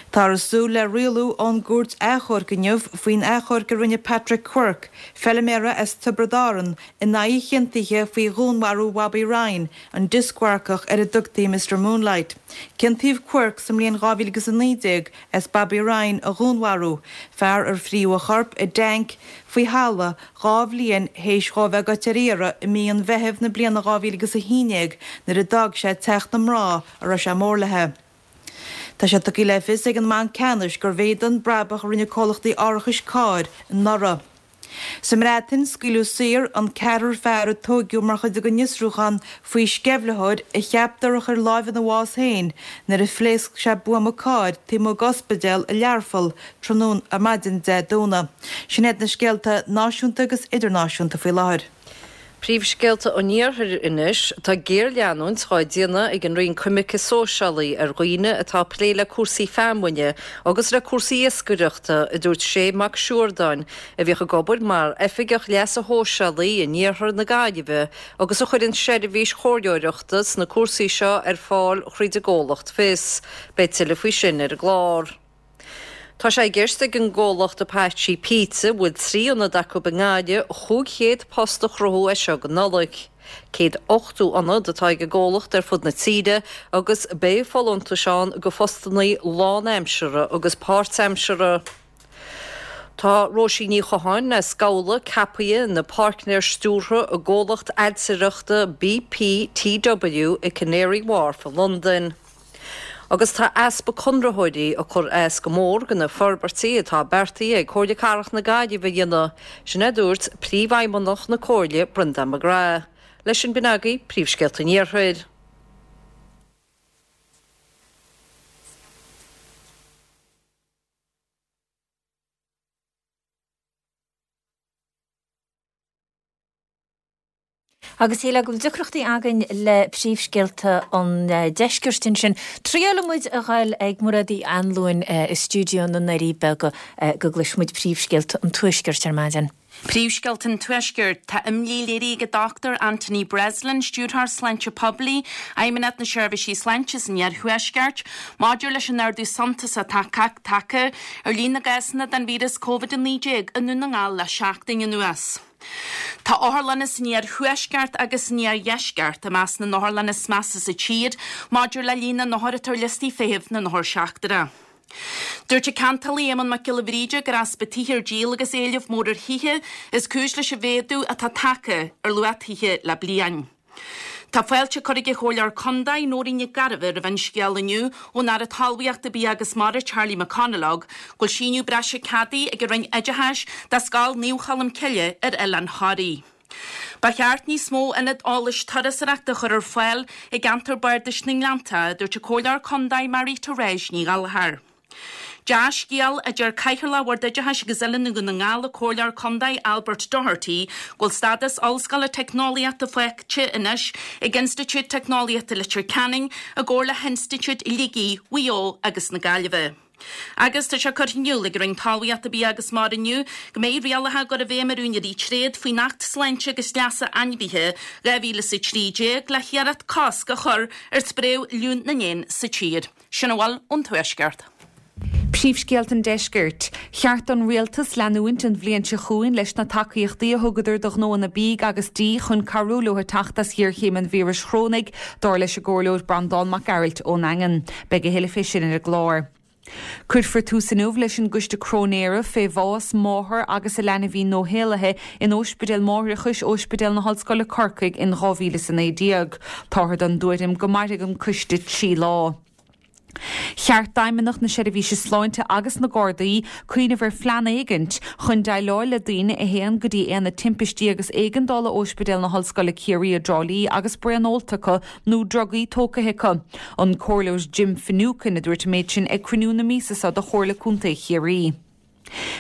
Táthar ag súil le rialú ón gCúirt Achomhairc inniu faoin achomharc a rinne Patrick Quirke, feiliméara as Tiobraid Árann, in aghaidh a chiontaithe faoi dhúnmharú Bhobby Ryan, an dioscmharcach ar a dtugtaí Mister Moonlight. Ciontaíodh Quirke sa mbliain dhá mhíle agus a naoi déag as Bobby Ryan a dhúnmharú, fear ar fríodh a chorp i dtanc faoi thalamh dhá bhliain théis dhó bheith goite ar iarraidh i mí an Mheithimh na bliana dhá mhíle agus a haon déag nuair a d'fhág sé teach na mná a raibh sé mór léi. Tá sé tugtha le fios ag an mBanc Ceannais gur mhéadaigh an brabach a rinne comhlachtaí árachais cairr anuraidh. Sa mBreatain, scaoileadh saor an ceathrar fear a tóigeadh mar chuid den fhiosrúchán faoi sceimhlitheoir a cheaptar a chuir lámh ina bhás féin nuair a phléasc sé buama cairr taobh amuigh d'ospidéal i Learpholl tráthnóna ar maidin Dé Domhnaigh. Sin iad na scéalta náisiúnta agus idirnáisiúnta faoi láthair. Príomhscéalta an Iarthair anois, Tá géarleanúint dhá déanamh ag an Roinn Coimirce Sóisialaí ar dhaoine atá ag plé le cúrsaí feamainne agus le cúrsaí iascaireachta, a dúirt Shay Mac Siúrdáin, a bhíodh ag obair mar Oifigeach Leasa Shóisialaigh in iarthar na Gaillimhe agus a chuireann seirbhís chomhairleoireachta sna cúrsaí seo ar fáil thríd an gcomhlacht Fios. Beidh tuilleadh faoi sin ar an gclár. Tá sé i gceist ag an gcomhlacht Apache Pizza, a bhfuil trí ionad acu i nGaillimh, chúig chéad post a chruthú as seo go Nollaig. Céad ochtó ionad atá ag an gcomhlacht ar fud na tíre agus beidh folúntais ann do phostanna lánaimseartha agus páirtaimseartha. Tá Róisín Ní Chatháin as Gabhla ceaptha ina páirtnéir stiúrtha i gcomhlacht ailtireachta B P T W i Canary Wharf i Londain. Agus tá easpa conraitheoirí ag cur as go mór do na forbairtí atá beartaithe ag Comhairle Cathrach na Gaillimhe a dhéanamh, sin a dúirt Príomhfheidhmeannach na Comhairle, Brendan McGrath. Leis sin b'in agaibh príomhscéalta an Iarthair. Agus shílfeá go bhfuil deacrachtaí againn le príomhscéalta an deiscirt ansin. Triailfidh muid a ghoil ag Mairéad Uí Anluain i stiúideo na nDoirí Beaga go gcloisfidh muid príomhscéalta an tuaiscirt ar maidin. Príomhscéalta an Tuaiscirt, Tá imní léirithe ag an Dochtúir Anthony Breslin, Stiúrthóir Sláinte Poiblí, Fheidhmeannacht na Seirbhísí Sláinte san Iarthuaisceart, maidir leis an ardú suntasach atá tagtha ar líon na gcásanna den víreas Covid a naoi déag i nDún na nGall le seachtain anuas. Tá otharlanna san iarthuaisceart agus san iardheisceart i measc na n-otharlanna is measa sa tír maidir le líon na n-othar atá ar liostaí feithimh na n-othar seachtrach. Dúirt an ceantálaí Éamonn Mac Giolla Bhríde gur easpa tithe ar díol agus éileamh mór ar thithe is cúis leis an mhéadú atá tagtha ar luach tithe le bliain. Tá fáilte curtha ag an Chomhairleoir Contae, Nóirín Nic Gairbheith roimh an scéala inniu ón Aire Talmhaíochta, Bia agus Mara, Charlie McConalogue, go bhfuil síneadh breise ceadaithe ag an Roinn Oideachais do Scoil Naomh Cholm Cille ar Oileán Thoraí. Ba cheart níos mó ionad eolais turasóireachta a chur ar fáil i gceantar bardais na nGleannta, a dúirt an Comhairleoir Contae Marie Therese Ní Ghallchóir. Dea-scéal, a deir Cathaoirleach Bhord Oideachais agus Oiliúna Dhún na nGall, an Comhairleoir Contae Albert Doherty, go bhfuil stádas Ollscoile Teicneolaíochta faighte anois ag Institiúid Teicneolaíochta Leitir Ceanainn i gcomhar le hInstitiúid Shligigh, Mhaigh Eo agus na Gaillimhe. Agus tá sé curtha in iúl ag an Roinn Talmhaíochta, Bia agus Mara inniu go mbeidh rialacha á gcur i bhfeidhm ar úinéirí tréad faoin Acht Sláinte agus Leasa Ainmhithe dhá mhíle is a trí déag le hiarracht cosc a chur ar spréadh fhliú na n-éan sa tír. Sin a bhfuil ón Tuaisceart. Príomhscéalta an Deiscirt. Cheart don Rialtas leanúint an bhliain seo chugainn leis na tacaíochtaí a thugadar do ghnóanna bídh agus dí chun cabhrú leo teacht as ghéarchéim an víris chorónaigh, dar leis an gComhairleoir Breandán Mac Gearailt ón nDaingean. Beidh a thuilleadh fé sin ar an gclár. Cuirfear tús inniu leis an gcoiste cróinéara fé bhás máthar agus a leanbhín nóshaolaithe in Ospidéal Máithreachais Ospidéal na hOllscoile Corcaigh in dhá mhíle is a naoi déag. Táthar den dtuairim go mairfidh an coiste trí lá. Cheart d'Fheidhmeannacht na Seirbhíse Sláinte agus na Gardaí cuimhneamh ar phlean éigint chun déileáil le daoine a théann go dtí Aonad Timpistí agus Éigeandála Ospidéal na hOllscoile Ciarraí i dTrá Lí agus braon ólta acu nó drugaí tógtha acu. An Comhairleoir Jim Finucane a dúirt an méid sin ag cruinniú na míosa seo de Chomhairle Contae Chiarraí.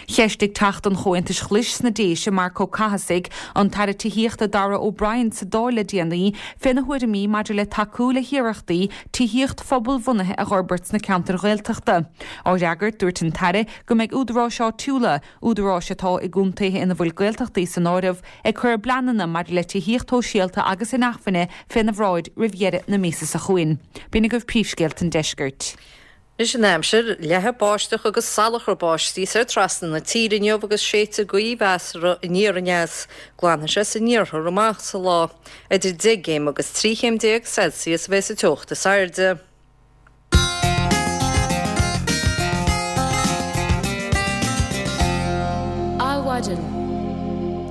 Cheistigh Teachta an Chomhaontais Ghlais sna Déise, Marc Ó Cathasaigh, an tAire Tithíochta Darragh O'Brien sa Dáil le déanaí féna thuairimí maidir le tacú le hiarrachtaí tithíocht phobalbhunaithe a dh'fhorbairt sna ceantair Ghaeltachta. Á fhreagairt, dúirt an tAire go mbeidh údaráis áitiúla, údaráis atá i gcontaetha ina bhfuil Gaeltachtaí san áireamh, ag cur a bpleananna maidir le tithíocht shóisialta agus inacmhainne féna bhráid roimh dheireadh na míosa seo chugainn. B'in agaibh príomhscéalta an deiscirt. Anois an aimsir, leathfaidh báisteach agus salachar báistí soir trasna na tíre inniu agus séidfidh gaoth mheasartha aniar aneas. Glanfaidh sé san iarthar amach sa lá. Idir deich gcéim agus trí chéim déag Celsius a bheas an teocht is airde. Adhmhaidin.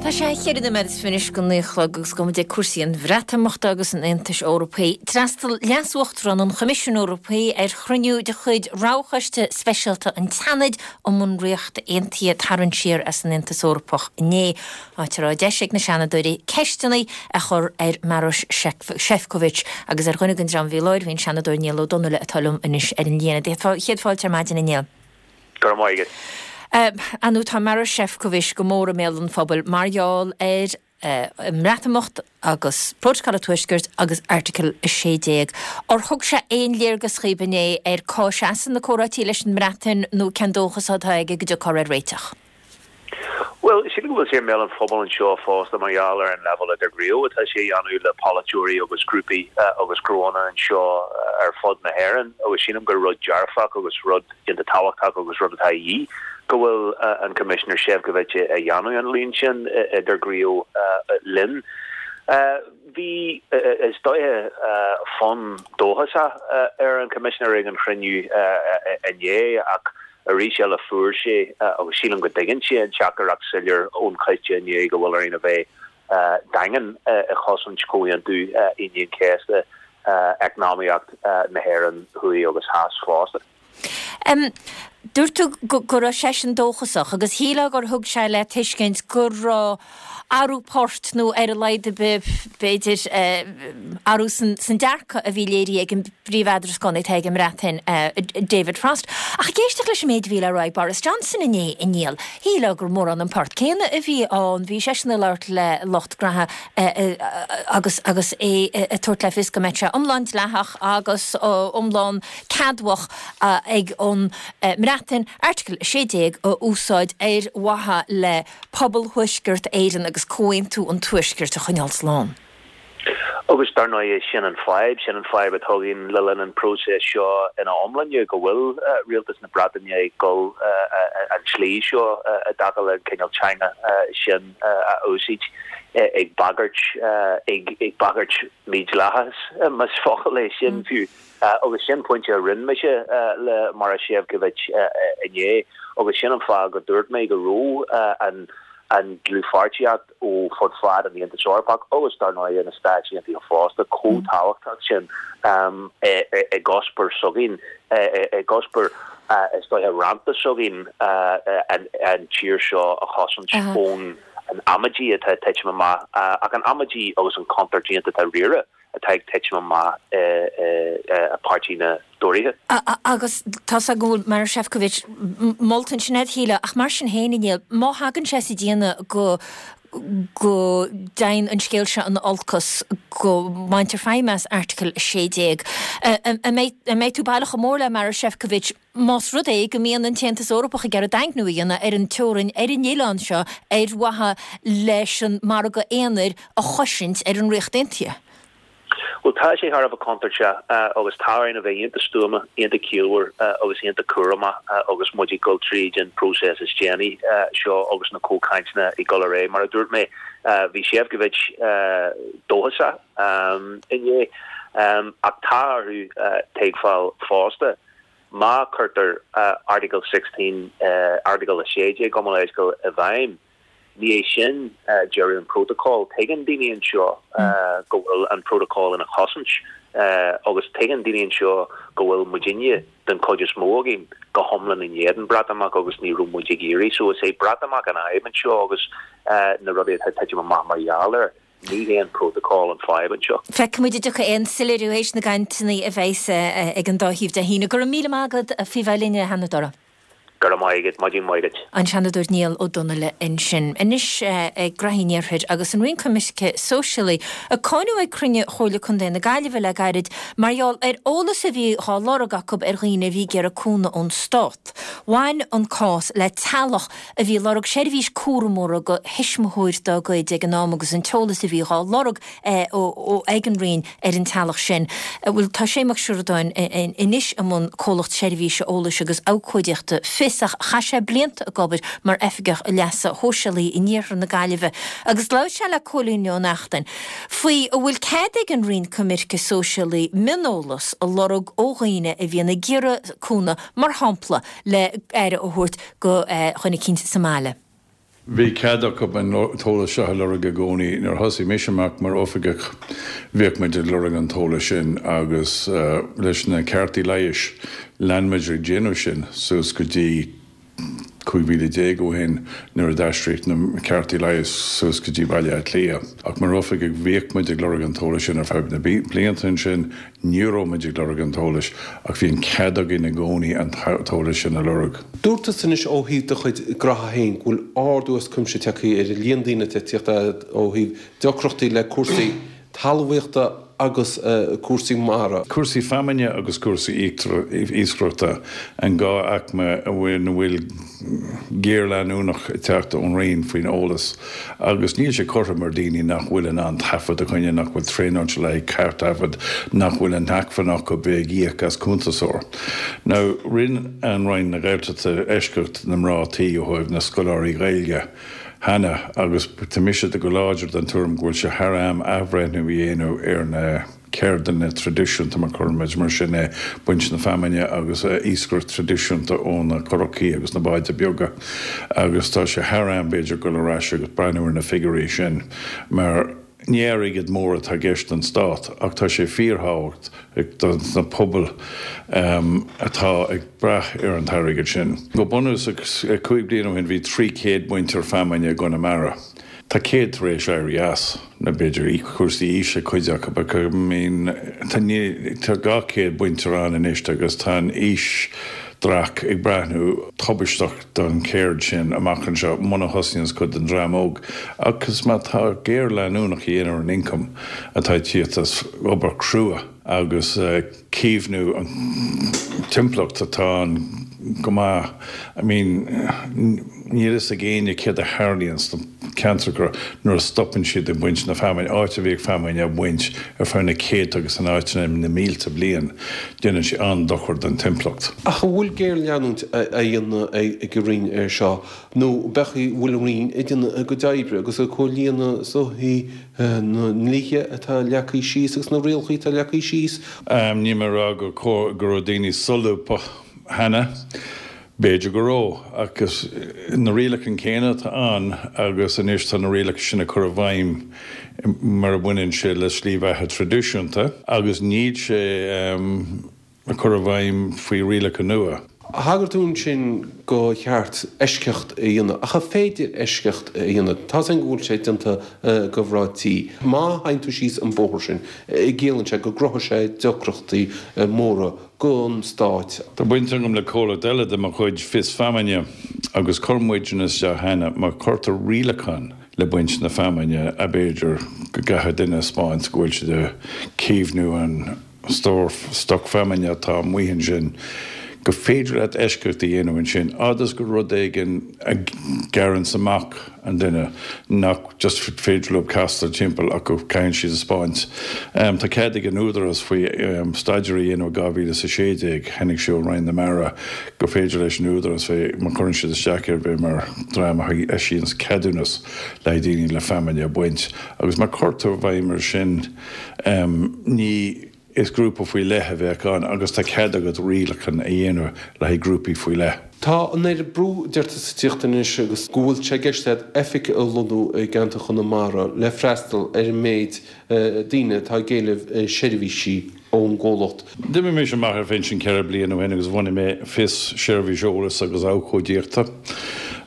Tá sé cheithre nóiméad is fiche anois go naoi a chlog agus gabhfaidh muid ag cúrsaí an Bhreatimeachta agus an Aontais Eorpaigh. D'fhreastail Leas-Uachtarán an Choimisiúin Eorpaigh ar chruinniú de chuid Roghchoiste Speisialta an tSeanaid um an Ríocht Aontaithe tarraingt siar as an Aontas Eorpach inné, áit a raibh deis ag na Seanadóirí ceisteanna a chur ar Maroš Šefčovič agus ar dhuine den dream a bhí i láthair bhí an Seanadóir Niall Ó Donnaile atá liom anois ar an líne. Céad fáilte ar maidin a Néill. Go raibh maith agat. Ar ndóigh tá Maroš Šefčovič go mór i mbéal an phobail mar gheall ar an mBreatimeacht agus Prótacal an Tuaiscirt agus Airteagal a sé déag. Ar thug sé aon léargas dhaoibh inné ar cá seasann na comhráití leis an mBreatain nó cén dóchas atá aige go dtiocfar ar réiteach? Bhuel, sílim go bhfuil sé i mbéal an phobail anseo fosta mar gheall ar an leibhéal idirghníomh atá sé a dhéanamh le polaiteoirí agus grúpaí agus gnóanna anseo ar fud na hÉireann agus sílim gur rud dearfach agus rud iontach tábhachtach agus rud atá a dhíth go bhfuil an Coimisinéir Šefčovič a dhéanamh an líon sin idirghníomh linn. Bhí, is dóiche, fonn dóchasach ar an Choimisinéir ag an chruinniú inné ach Arís eile fuair sé, agus sílim go dtuigeann sé, an teachtaireacht soiléir ón choiste inné go bhfuil orainn a bheith daingean i chosaint Chomhaontú Aoine an Chéasta, eacnamaíocht na hÉireann thuaidh agus theas fosta. Dúirt tú go raibh seisean dóchasach agus shílfeá gur thug sé le tuiscint go raibh athrú poirt nó ar a laghad ar bith, b'fhéidir, athrú san dearcadh a bhí léirithe ag an bpríomh-eadrascánaí atá ag an mBreatain, David Frost. Ach ag éisteacht leis an méid a bhí le rá ag Boris Johnson inné, a Néill, shílfeá gur mórán an port céanna a bhí ann. Bhí seisean ag labhairt le lucht gnaithe agus agus é ag tabhairt le fios go mbeadh sé iomlán dleathach agus iomlán ceadmhach ag an mBreatain Airteagal a sé déag a úsáid ar mhaithe le pobal Thuaisceart Éireann agus Comhaontú an Tuaiscirt a choinneáil slán. Agus dar ndóigh sin an fadhb, sin an fadhb atá againn le linn an próiseas seo ina iomláine, go bhfuil rialtas na Breataine ag dul an tslí seo i dtaca le an cineál teanga sin a úsáid, ag bagairt, ag bagairt mídhleathachas, más focal é sin fiú. Agus sin pointe a rinne mise le Marois Sefcovic inné, agus sin an fáth go dúirt mé go raibh an an dlúthpháirtíocht ó fud fad an Aontais Eorpach agus dar ndóigh na Stáit Aontaithe fosta chomh tábhachtach sin i gcuspóir s'againn, i gcuspóir is dóiche rannta s'againn an tír seo a chosaint ón an amaidí atá ag titim amach ach an amaidí agus an chontúirt iontach dáiríre atá ag titim amach i bpáirtí na dTóraithe. Agus tá 's agam go bhfuil Marois Sefcovic molta ansin agat, a Shíle, ach mar sin féin, a Néill, má thagann sé sa déanamh go go dtéann an scéal seo in olcas, go mbaintear feidhm as Airteagal a sé déag, an mbeidh tú baileach chomh mór le Marois Sefcovic más rud é go mbíonn an tAontas Eorpach ag iarraidh daingniú a dhéanamh ar an teorainn ar an oileán seo ar mhaithe leis an margadh aonair a chosaint ar an Ríocht Aontaithe? Bhuel, tá sé thar a bheith contúirteach agus tá orainn a bheith iontach stuama, iontach ciallmhar agus iontach cúramach agus muid ag dul tríd an próiseas is déanaí seo agus na comhchainteanna ag dul ar aghaidh. Mar a dúirt mé, bhí Sefcovic dóchasach inné ach tá orthu tuigbheáil fosta má chuirtear Article sixteen, Airteagal a sé déag, gabh mo leithscéal, i bhfeidhm, Ní hé sin deireadh an prótacal. Tuigeann daoine anseo go bhfuil an prótacal ina chosaint agus tuigeann daoine anseo go bhfuil muidinne, den chuid is mó againn, go hiomlán in éadan Breatimeacht agus ní raibh muid ag iarraidh. So is é Breatimeacht an fhadhb anseo agus na rudaí atá ag titim amach mar gheall air. Ní hé an prótacal an fadhb anseo. Feicfidh muid an dtiocfaidh aon soiléiriú théis na gcainteanna a bheas ag an dá thaobh Dé hAoine. Go raibh míle maith agat faoi bheith linn, a Sheanadóra. Go raibh maith agat, maidin mhaith duit. An Seanadóir Niall Ó Donnaile ansin. Anois ag graithí an Iarthair agus an Roinn Coimirce Sóisialaí ag cáineadh ag cruinniú Chomhairle Contae na Gaillimhe le gairid mar gheall ar eolas a bhí dhá lorg acu ar dhaoine a bhí ag iarraidh cúnamh ón Stát. Bhain an cás le teaghlach a bhí ag lorg seirbhís cúramóra do thuismitheoir dá gcuid ag an am agus an t-eolas a bhí dhá lorg ag an Roinn ar an teaghlach sin. Bhuel, tá Shane Mac Siúradáin anois i mbun comhlacht seirbhíse eolais agus abhcóideachta Fios ach chaith sé blianta ag obair mar oifigeach leasa shóisialaigh in iarthar na Gaillimhe agus labhair sé le Cóilín Ó Neachtain faoi an bhfuil cead ag an Roinn Coimirce Sóisialaí mioneolas a lorg ó dhaoine a bhíonn ag iarraidh cúnamh, mar shampla le aire a thabhairt do dhuine eicínt sa mbaile. Bhí cead acu an t-eolas seo a lorg i gcónaí. Nuair a thosaigh mise amach mar oifigeach bhíodh muid ag lorg an t-eolas sin agus leis na cártaí leighis lean muid ag déanamh sin suas go dtí cúig mhíle déag ó shin nuair a d'aistríodh na cártaí leighis suas go dtí Baile Átha Cliath. Ach mar oifigeach bhíodh muid ag lorg an t-eolas sin ar feadh na blianta ansin. Ní raibh muid ag lorg an t-eolais ach bhí an cead againn i gcónaí an t-eolas sin a lorg. Dúirt tusa anois ó thaobh do chuid graithe féin go bhfuil ardú as cuimse tagtha ar an líon daoine atá ag tíocht ó thaobh deacrachtaí le cúrsaí talmhaíochta agus cúrsaí mara. Cúrsaí feamainne agus cúrsaí iascaireachta an dhá aicme a bhfuil géarleanúnach ag teacht ón Roinn faoin eolas agus níl sé cothrom ar daoine nach bhfuil in ann taifead a choinneáil, nach bhfuil traenáilte le haghaidh taifead, nach bhfuil an acmhainn acu bheith ag íoc as cuntasóir. Now, rinne an Roinn na Gaeltachta eisceacht na mná tí ó thaobh na scoláirí Gaeilge cheana agus tá mise go láidir den tuairim go bhfuil sé thar am athbhreithniú a dhéanamh ar na ceirdeanna traidisiúnta, mar cuirfimid mar sin é, baint na feamainne agus iascaireacht traidisiúnta ó na curachaí agus na báid beaga agus tá sé thar am b'fhéidir dul ar ais agus breathnú ar na figiúirí sin mar ní airgead mór atá i gceist don stát ach tá sé fíorthábhachtach do na pobail atá ag brath ar an t-airgead sin. Go bunúsach, cúig bliana ó shin bhí trí chéad bainteoir feamainne i gConamara. Tá céad tar éis éirí as, nó b'fhéidir cúrsaí aoise cuid acu, ach I mean tá tá dhá chéad bainteoir ann anois agus tá an aoisdreach ag breathnú tubaisteach don cheird sin amach anseo muna thosaíonns cuid den dream óg agus má tá géarleanúnach a dhéanamh ar an ioncam atá ag tíocht as obair chrua agus caomhnú an timpeallacht atá an go maith. I mean, níl fhios ag éinne céard a tharlaíonn sna ceantracha nuair a stopann siad ag baint na feamainne, áit a bhíodh feamainn á baint ar feadh na céadta agus in áiteanna na mílte bliain, déanann sé an-dochar don timpeallacht. Ach an bhfuil géarleanúint á dhéanamh ag an Roinn air seo nó b'fhéidir an bhfuil an Roinn ag déanamh a gcuid oibre agus ag comhlíonadh is dóichí na ndlíthe atá leagtha síos agus na rialacha atá leagtha síos? Níl mé ag rá go raibh daoine solúbtha cheana, b'fhéidir go raibh, ach is na rialacháin céanna atá ann agus anois tá na rialacha sin á cur i bhfeidhm mar a bhaineann sé le slí bheatha traidisiúnta agus níl sé á cur i bhfeidhm faoi rialacha nua. Thagair tú ansin go cheart eisceacht a dhéanamh, ach an féidir eisceacht a dhéanamh? Tá's againn go bhfuil sé déanta go mná tí. Má théann tú síos an bóthar sin, ciallaíonn sé go gcruthóidh sé deacrachtaí móra don Stát. Tá baint agam le comhlacht eile de mo chuid, Fios Feamainne, agus chuir muidne isteach cheana, má chuirtear rialachán le baint na feamainne, b'fhéidir go gcaithfidh duine a 'spáint go bhfuil siad ag caomhnú an stór stoc feamainne atá amuigh ansin, gur féidir leat eisceacht a dhéanamh ansin, fhad is gur rud éigin a ghearranns amach an duine, nach just féidir leo castáil timpeall ach go gcaitheann siad a 'spáint. Tá cead ag an Údarás faoi staidéar a dhéanamh i dhá mhíle is a sé déag, tháinig sé ó Roinn na Mara, gur féidir leis an Údarás bheith, má chuireann siad isteach air, bheith mar dream a eisíonns ceadúnas le haghaidh daoine le feamainn a bhaint. Agus má chuirtear i bhfeidhm ar sin, ní. Is grúpa faoi leith a bheadh ann agus tá cead agat rialacháin a dhéanamh le haghaidh grúpaí faoi leith. Tá an oiread brú deirtear ag tíocht anois agus go bhfuil sé i gceist agat oifig a lonnú i gceantar Chonamara le freastal ar an méid daoine atá ag éileamh seirbhísí ón gcomhlacht. D'imigh mise amach ar phinsean ceithre bliana ó shin agus bhunaigh mé Fios, Seirbhís Eolais agus Abhcóidíochta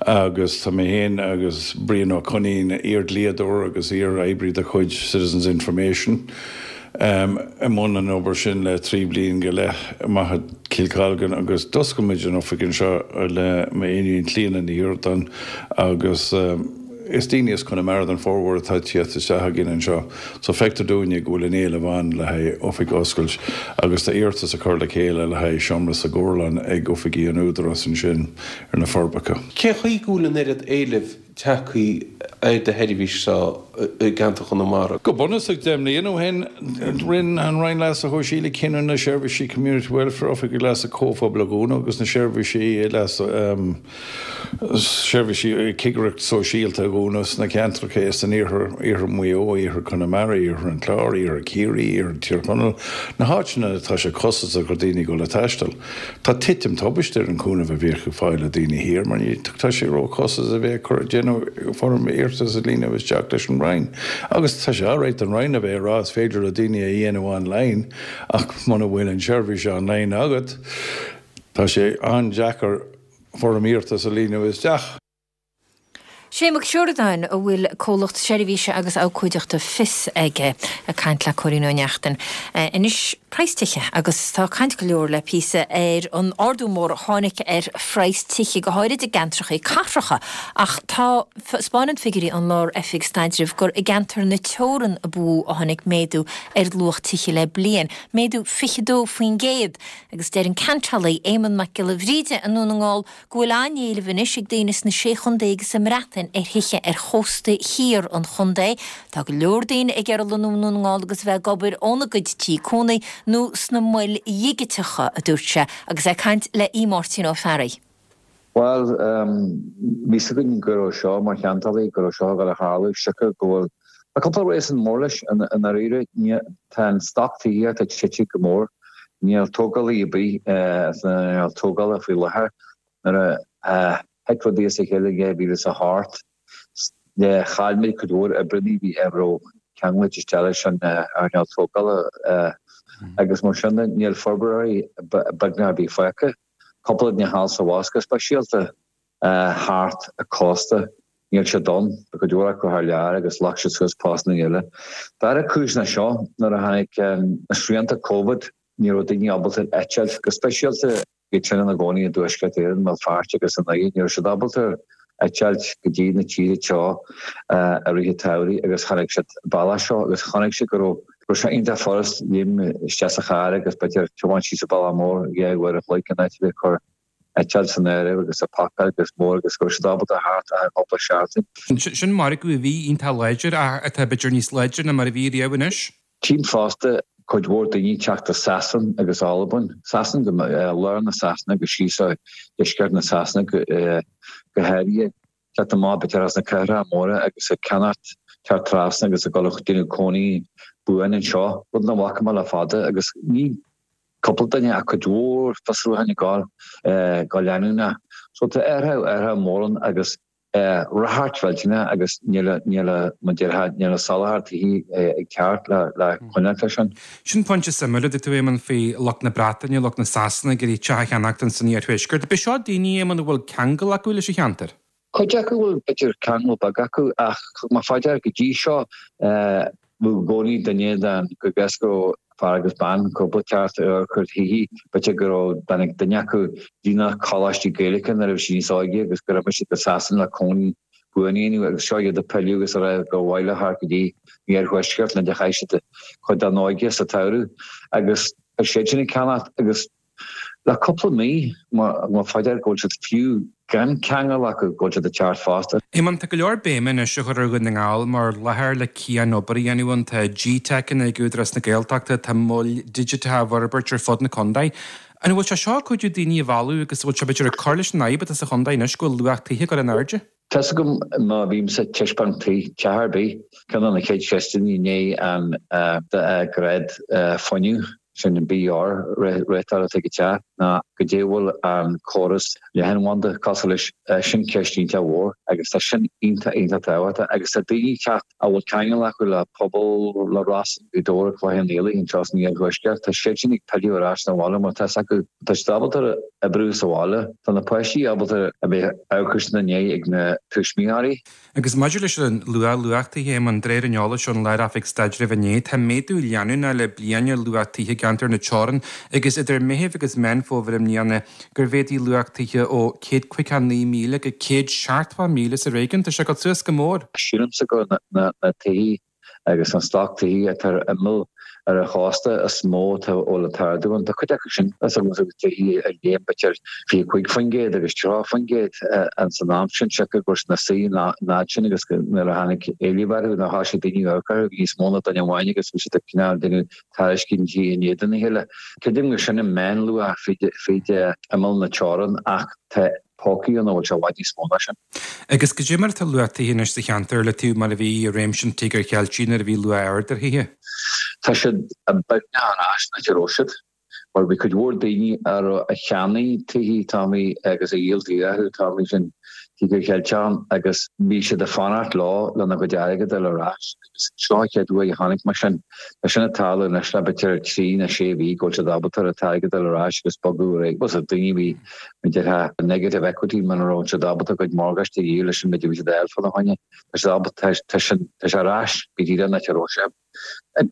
agus tá mé féin agus Brian Ó Coinín, iar-dhlíodóir agus iar-oibrí de chuid Citizens Information, i mbun an obair sin le trí bliain go leith amach i Cill Colgan agus d'oscail muid an oifig anseo le m'iníon Clíona Ní Shíordáin agus is daoine as Conamara don formhór atá ag tíocht isteach againn anseo so feictear dúinne go bhfuil an éileamh ann le haghaidh oifig a oscailt agus tá iarratas á cur le chéile le haghaidh seomra sa gCorrlann ag oifigí an Údarás ansin ar na Forbacha. Cén chaoi go bhfuil an oiread éilimh tagtha ar do sheirbhís seo i gceantar Chonamara. Go bunúsach, deich mbliana ó shin, rinne an Roinn Leasa Shóisialaigh cinneadh na seirbhísí Community Welfare, Oifigigh Leasa Comhphobail a dhúnadh agus na seirbhísí leasa, seirbhísí cigireacht sóisialta a dhúnadh sna ceantracha san iarthar, iarthar Mhaigh Eo, iarthar Chonamara, iarthar an Chláir, iarthar Chiarraí, iarthar Thír Chonaill, na háiteanna atá sé costasach do dhaoine dul ag taisteal. Tá titim tubaiste ar an chúnamh a bhíodh ag fáil ag daoine thiar mar ní tá sé ró-chostasach a bheith ag cur déanamh foirm iarratais a líonadh isteach leis an Roinn. Agus tá sé alright don Roinn a bheith ag rá is féidir le daoine a dhéanamh online ach muna bhfuil an tseirbhís online agat tá sé an-deacair foirm iarratais a líonadh isteach. Shane Mac Siúrdáin, a bhfuil comhlacht seirbhíse agus abhcóideachta Fios aige, ag caint le Cóilín Ó Neachtain. Anois, praghas tithe, agus tá caint go leor le píosa ar an ardú mór a tháinig ar phraghas tithe, go háirid i gceantracha cathracha. Ach tá, 'spáineann figiúirí an Lár-Oifig Staidrimh gur i gceantar na teorann a ba mhó a tháinig méadú ar luach tithe le bliain, méadú fiche dó faoin gcéad. Agus deir an ceantálaí Éamonn Mac Giolla Bhríde i nDún na nGall go bhfuil an-éileamh anois ag daoine sna Sé Chontae agus sa mBreatain ar thithe ar chósta thiar an chontae. Tá go leor daoine ag iarraidh lonnú i nDún na nGall agus a bheith ag obair óna gcuid tí cónaí nó sna moil dhigiteacha, a dúirt sé agus é ag caint le Aodh Máirtín Ó Fearraigh. Bhuel, bhí 'fhios againn go raibh seo, mar cheantálaí, go raibh seo ag dul a tharlú, siocair go bhfuil, tá cúpla réasún mór leis, i ndáiríre. Tá an stoc tithíochta tite go mór. Níl tógálaí ar bith san earnáil tógála faoi láthair. Nuair a thit rudaí as a chéile in dhá mhíle is a hocht, chaill muid cuid mhór oibreanna bhí a raibh ceangailte isteach leis an earnáil tógála agus mar sin de níl forbróirí beagnach ar bith fágtha. Cúpla de na hAilt Mhóra go speisialta thart an cósta, níl siad ann, tá cuid mhór acu thar lear agus ghlac siad suas postanna eile. Dara cúis ná seo, nuair a tháinig na srianta Covid, ní raibh daoine ábalta eitilt, go speisialta iad sin ina gcónaí i dTuaisceart Éireann, i mBéal Feirste agus i nDoire, ní raibh siad ábalta eitilt go dtí na tíortha teo i rith an tsamhraidh agus tháinig siad an bealach seo agus chonaic siad go raibh go raibh sé iontach furast léim isteach sa charr agus b'fhéidir tiomáint síos an bealach mór dhá uair a chloig in áit a bheith ag cur eitilt san áireamh agus ag pacáil agus mór agus go raibh siad ábalta theacht ar chúpla seachtain. Sin margadh a bhí iontach láidir ach atá b'fhéidir níos láidre ná mar a bhí riamh anois. Tchím fosta cuid mhór daoine ag teacht as Sasain agus Albain, Sasain go lár na Sasana agus síos ó dheisceart na Sasana go háirithe, teacht amach b'fhéidir as na cathracha móra agus ag ceannacht teacht trasna agus ag dul ag déanamh cónaí buan anseo, rud nach bhfaca mé le fada agus ní cúpla duine ach cuid mhór fiosrúcháin ag gabháil go leanúnach. So tá athrú athrú mór ann agus ráchairt mhillteanach agus níl níl mar déarfá níl an soláthar tithe ag teacht le le coinneáil leis sin. Sin pointe suimiúil a dúirt tú Éamonn faoi lucht na Breataine, lucht na Sasana ag iarraidh teach a cheannacht san iarthuaisceart. Ab é seo daoine Éamonn a bhfuil ceangal acu leis an cheantar? Cuid acu bhfuil b'fhéidir ceangal beag acu ach thug mé fá dear go dtí seo bhí i gcónaí duine den go gcas go raibh fear agus bean cúpla teacht ar chuid thithe b'fhéidir go raibh bean ag duine acu daoine coláistí Gaeilge nuair a bhí sí níos óige agus go raibh siad go Sasana le cónaí buan a dhéanamh agus seo iad ag pilleadh agus a rá gur mhaith leo theacht go dtí an iarthuaisceart le chaith siad cuid dá n-óige sa tsamhradh agus tá siad sin ag ceannacht agus Le cúpla mí, mar fá dear go bhfuil siad fiú gan ceangal acu go bhfuil siad ag teacht fosta. Éamonn, tá go leor béime anois á chur ar Dhún na nGall mar láthair le cian-obair a dhéanamh ann. Tá GTeiceanna ag Údarás na Gaeltachta, tá moil digiteacha á bhforbairt ar fud na contae. An bhfuil sé seo ag cuidiú daoine a mhealladh agus an bhfuil sé b'fhéidir ag cur leis an fhadhb atá sa chontae anois go bhfuil luach tithe ag dul in airde? Tá's agam má bhímse ag taispeáint tí, teach ar bith, ceann de na chéad cheisteanna i ndiaidh an grád fuinnimh, sin an BER réiteáil atá ag an teach, ná goidé bhfuil an córas leathanbhanda cosúil leis, sin ceist iontach mhór agus tá sin iontach iontach tábhachtach agus tá daoine ag teacht a bhfuil ceangal acu le pobal, le Ros, Gaoth Dobhair, Cloich Cheann Fhaola anseo san iarthuaisceart, tá siad sin ag pilleadh ar ais 'na bhaile mar tá's acu, tá siad ábalta oibriú sa bhaile, tá na páistí ábalta a bheith amharc ina ndiaidh ag na tuismitheoirí. Agus maidir leis an luach luach tithe, Éamonn, de réir an eolais ón Lár-Oifig Staidrimh inné, tá méadú leanúnach le bliain ar luach tithe i gceantar na Teorann agus idir Meitheamh agus Meán Fómhair i mbliana gur mhéadaigh luach tithe ó céad caoga a naoi míle go céad seachtó míle sa réigiún. Tá sé ag dul suas go mór. Sílimse gur na tithe agus an stoc tithe atá ar imeall ar an chósta is mó atá a bhfuil an t-ardú ann. Tá cuid acu sin agus tithe a léim b'fhéidir fiche cúig faoin gcéad agus tríocha faoin gcéad ins an am sin siocair go raibh siad ina suí an fhad sin agus nuair a tháinig éileamh orthu nuair a thosaigh daoine ag amharc orthu bhí níos mó ná duine amháin agus bhí siad ag cineál déanamh tairiscintí in éadan a chéile. Creidim gur sin an meánluach fríd imeall na teorann ach tá pócaí ann a bhfuil sé i bhfad níos mó ná sin. Agus goidé mar atá luach tithe anois sa cheantar le taobh mar a bhí i réimse an Tíogair Cheiltigh nuair a bhí luach ard ar thithe? Tá siad beagnach ar ais an áit a raibh siad, mar bhí cuid mhór daoine a raibh a cheannaigh tithe Tommy agus a dhíol tithe acu Tommy sin Tíogar Cheilteach agus bhí siad ag fanacht leo lena gcuid airgid a fháil ar ais agus seo an chéad uair a chonaic mé sin. Tá sin ag tarlú anois le b'fhéidir trí nó sé mhí go bhfuil siad ábalta an t-airgead a fháil ar ais agus bogadh ar aghaidh. Bhuel so daoine a bhí mar déarfá negative equity muna raibh siad ábalta a gcuid morgáiste a dhíol leis an méid a bhí siad a fháil fána choinne. Tá siad ábalta tá sin tá sé ar ais go díreach an áit a raibh sé.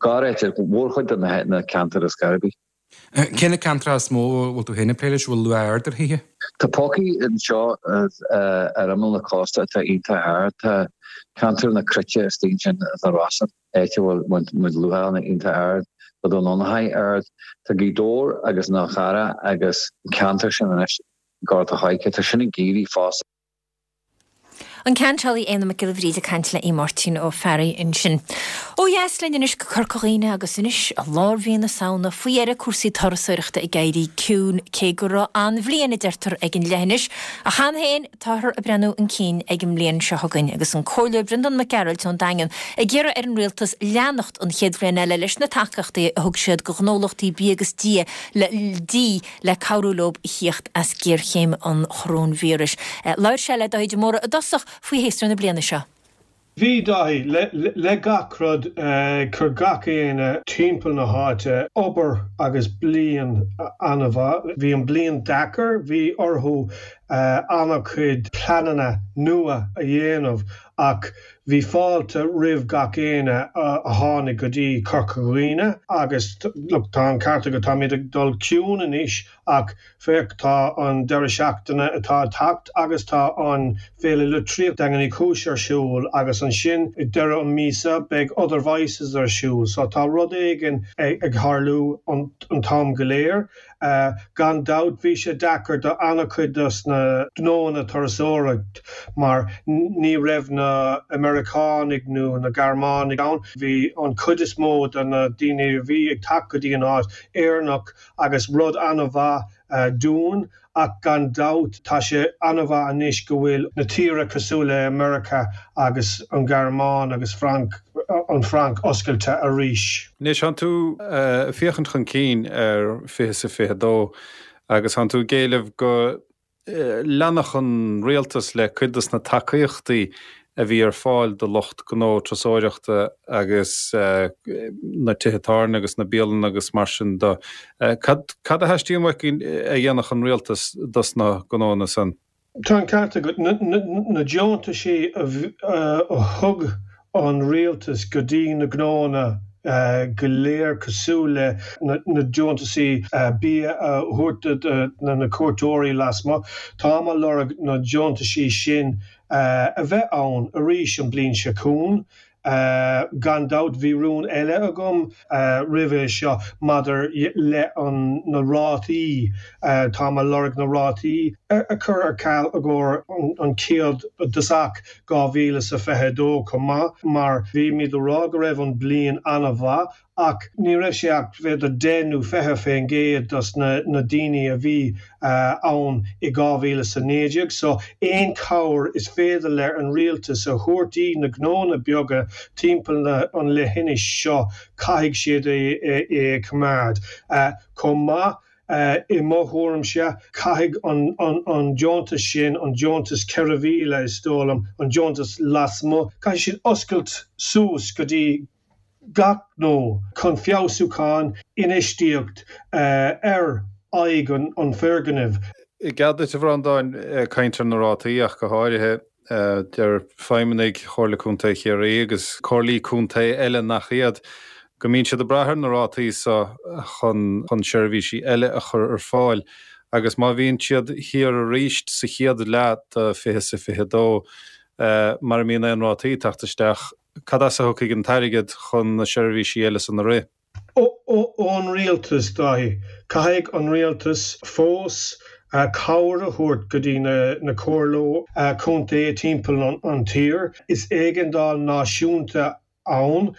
Gar áit ar mhórchuid de na ceantair is gairbí. Cé na ceantracha is mó a bhfuil tú féin ag plé leis a bhfuil luach ard ar thithe? Tá pócaí anseo ar imeall na cósta atá iontach ard. Tá ceantar na Cruite istigh ansin sna Rosann, áit a bhfuil muid luachanna iontach ard, tá Dún Fionnachaidh ard. Tá Gaoth Dobhair agus an Fhál Carrach agus an ceantar sin anois, Gort a' Choirce, tá sin ag éirí fosta. An ceantálaí Éanna Mac Giolla Bhríde ag caint le Máirtín Ó Fearraigh ansin. Ó dheas linn anois go Corca Dhuibhne agus anois i lár mhí na Samhna faoi dheireadh cúrsaí turasóireachta ag éirí ciúin cé go raibh an-bhliain a deirtear ag an leithinis. Ach cheana féin táthar ag breathnú chun cinn ag an mbliain seo chugainn agus an Comhairleoir Breandán Mac Gearailt ón Daingean ag iarraidh ar an rialtas leanacht an chéad bhliain eile leis na tacaíochtaí a thug siad do ghnólachtaí bia agus dí le dí le cabhrú leo a thíocht as géarchéim an choróinvíris. Labhair sé le Dáithí de Mórdha i dtosach faoi shéasúr na bliana seo. Bhí Dáithí, le le gach rud, chuir gach éinne timpeall na háite obair agus bliain an-mhaith. Bhí an bliain deacair, bhí orthu an-chuid pleananna nua a dhéanamh ach bhí fáilte roimh gach éinne a tháinig go dtí Corca Dhuibhne agus look tá an ceart agat táimid ag dul ciúin anois ach féach tá an deireadh seachtaine atá ag teacht agus tá an Féile Litríochta Daingean Uí Chúis ar siúl agus ansin ag deireadh an míosa beidh Other Voices ar siúl so tá rud éigin ag tharlú an t-am go léir. Gan dabht bhí sé deacair do an-chuid dos na gnóanna turasóireacht mar ní raibh na Meiriceánaigh nó na Gearmánaigh ann. Bhí an chuid is mó de na daoine a bhí ag teacht go dtí an áit Éireannach agus rud an-mhaith dúinn ach gan dabht tá sé an-mhaith anois go bhfuil na tíortha cosúil le Meiriceá agus an Ghearmáin agus Franc an Fhrainc oscailte arís. Anois tánn tú ag féachaint chun cinn ar fiche is a fiche dó agus tánn tú ag éileamh go leanfadh an rialtas le cuid dos na tacaíochtaí a bhí ar fáil do lucht gnó turasóireachta agus na tithe tábhairne agus na bialanna agus mar sin de. Cad cad a theastaíonn uait a dhéanfadh an rialtas dos na gnóanna san? Tá an ceart agat. Na deontaisí a thug an rialtas go dtí na gnóanna go léir cosúil le na deontaisí bia a thabhairt do na cuairteoirí lasmuigh, táim ag lorg na deontaisí sin a bheith ann arís an bliain seo chugainn. Gan dabht bhí rún eile agam roimhe seo maidir le na rátaí, táim ag lorg na rátaí a chur ar ceal i gcomhair an chéad dtosach dhá mhíle is a fiche a dó chomh maith mar bhímid ag rá go raibh an bliain an-mhaith ach ní raibh sé ach b'fhéidir deich nó fiche faoin gcéad dos na na daoine a bhí ann i dhá mhíle is a naoi déag so aon chabhair is féidir le an rialtas a thabhairt dí na gnónna beaga timpeall na an leithinis seo caithfidh siad é é a choimeád chomh maith. I mo thuairimse, caithfidh an an deontas sin, an deontas ceithre mhíle is dóigh liom, an deontas lasmuigh, caithfidh siad oscailt suas go dtí gach gnó chun feabhsúchán, infheistíocht ar aghaidh an foirgnimh. I gcead duit, a Bhreandáin, caint ar na rátaí ach go háirithe, deir feidhmeannaigh Chomhairle Contae Chiarraí agus comhairlí contae eile nach iad, go mbíonn siad ag brath ar na rátaí so chun chun seirbhísí eile a chur ar fáil agus má bhíonn siad thiar arís sa chéad leath de fiche is a fiche dó, mara mbíonn aon rátaí ag teacht isteach, cad as a thiocfaidh an t-airgead chun na seirbhísí eile san a rith? Ón rialtas, Dáithí. Caithfidh an rialtas fós cabhair a thabhairt go dtí na comhairlí contae timpeall an tír. Is éigeandáil náisiúnta ann.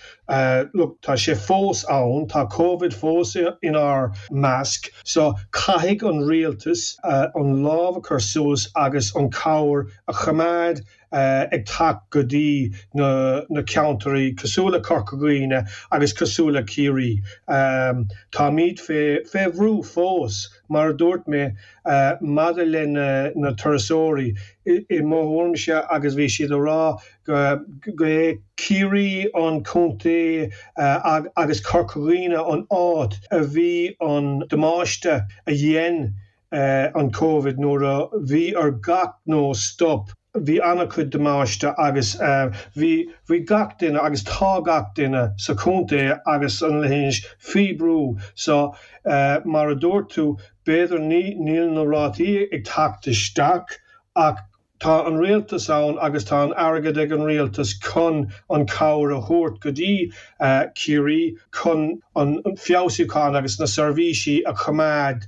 Look, tá sé fós ann, tá Covid fós inár measc, so caithfidh an rialtas an lámh a chur suas agus an cabhair a choimeád ag teacht go dtí na na ceantair cosúil le Corca Dhuibhne agus cosúil le Ciarraí. Táimid fé fé bhrú fós, mar a dúirt mé, maidir le na na turasóirí. I mo thuairimse, agus bhí siad a rá go go é Ciarraí an contae agus Corca Dhuibhne an áit a bhí an damáiste a dhein an Covid nuair a bhí ar gach gnó stop. Bhí an-chuid damáiste agus bhí bhí gach duine agus tá gach duine sa chontae agus an leithinis faoi bhrú so mar a dúirt tú b'fhéidir ní níl na rátaí ag teacht isteach ach tá an rialtas ann agus tá an airgead ag an rialtas chun an cabhair a thabhairt go dtí Ciarraí chun an feabhsúchán agus na seirbhísí a choimeád.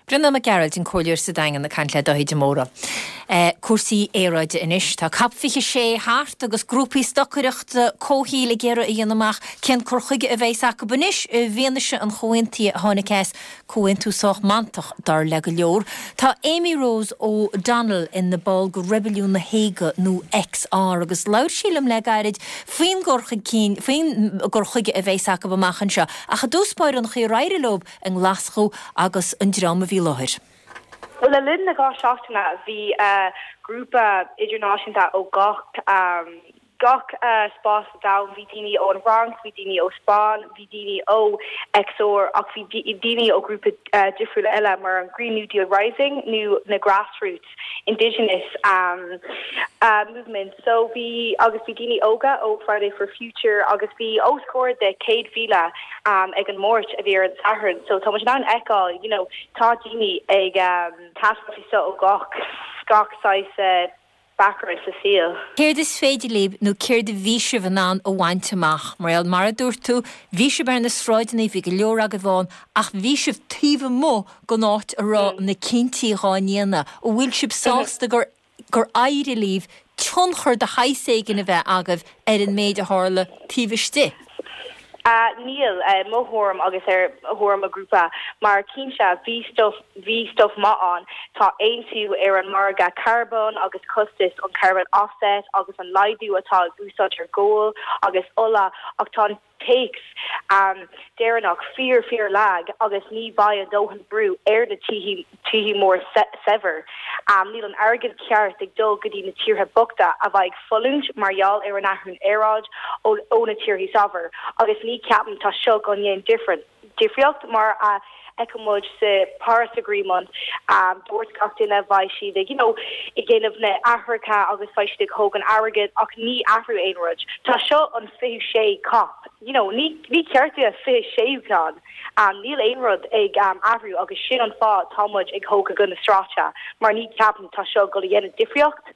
Breandán Mac Gearailt, an comhairleoir sa Daingean ag caint le Dáithí de Mórdha. Cúrsaí aeráide anois. Tá Cop fiche sé thart agus grúpaí stocaireachta comhshaoil ag iarraidh a dhéanamh amach cén cur chuige a bheas acu anois i bhfianaise an chomhaontaithe a tháinig as, comhaontú sách mantach dar le go leor. Tá Amy Rose O'Donnell ina ball de Reibiliún na hÉige nó XR agus labhair sí liom le gairid faoin gcur chuige cinn, faoin gcur chuige a bheas acu amach anseo. Ach i dtús báire an chaoi ar éirigh leo i nGlaschú agus an dream a bhí i láthair. Bhuel, le linn na dhá seachtaine bhí grúpa idirnáisiúnta ó gach gach spás sa domhan bhí daoine ón Fhrainc, bhí daoine ó Spáinn, bhí daoine ó XR ach bhí daoine ó grúpa difriúla eile mar an Green New Deal Rising nó na Grassroots Indigenous um, uh, movement. So bhí agus bhí daoine óga ó Friday for Future agus bhí os comhair de céad mhíle um, ag an Máirt a bhí ar an Satharn. So tá muid in ann fheiceáil, you know, tá daoine ag um, taisteal so ó gach gach saghas uh, background sa saol. Céard is féidir libh nó céard a bhí sibh in ann a bhaint amach, mar mar a dúirt tú, bhí sibh ar na sráideanna bhí go leor agaibh ann ach bhí sibh taobh amuigh den áit a raibh na cinntí á ndéanamh, an bhfuil sibh sásta gur gur éirigh libh tionchar de shaghas éigin a bheith agaibh ar an méid a tharla taobh istigh. Uh, níl uh, mo thuairim agus ar thuairim mo ghrúpa mar cinnte bhí stuff bhí stuff maith ann tá aontú ar an margadh carbón agus costas an carbon offset agus an laghdú atá ag úsáid ar ghual agus ola ach tá an téacs um, deireanach fíor fíor lag agus ní bheidh a dóthain brú ar na tíortha mór saibhir. Um, níl an airgead ceart ag dul go dtí na tíortha bochta a bheidh ag fulaingt mar gheall ar an athrú aeráid ó, ó na tíortha saibhir agus ní ceapaim tá seo go ndéan different difríocht mar a fheiceann muid sa Paris Agreement um, dúirt gach duine bheidh siad ag you know, ag déanamh na hathruithe agus beidh siad ag tógáil airgead ach ní athrú aon rud. Tá seo an fiche sé COP you know, ní, ní ceart a fiche sé ceann. Um, níl aon rud ag um, athrú agus sin an fáth tá muid ag tógáil go na sráide mar ní ceapaim tá seo go dhéanamh difríocht.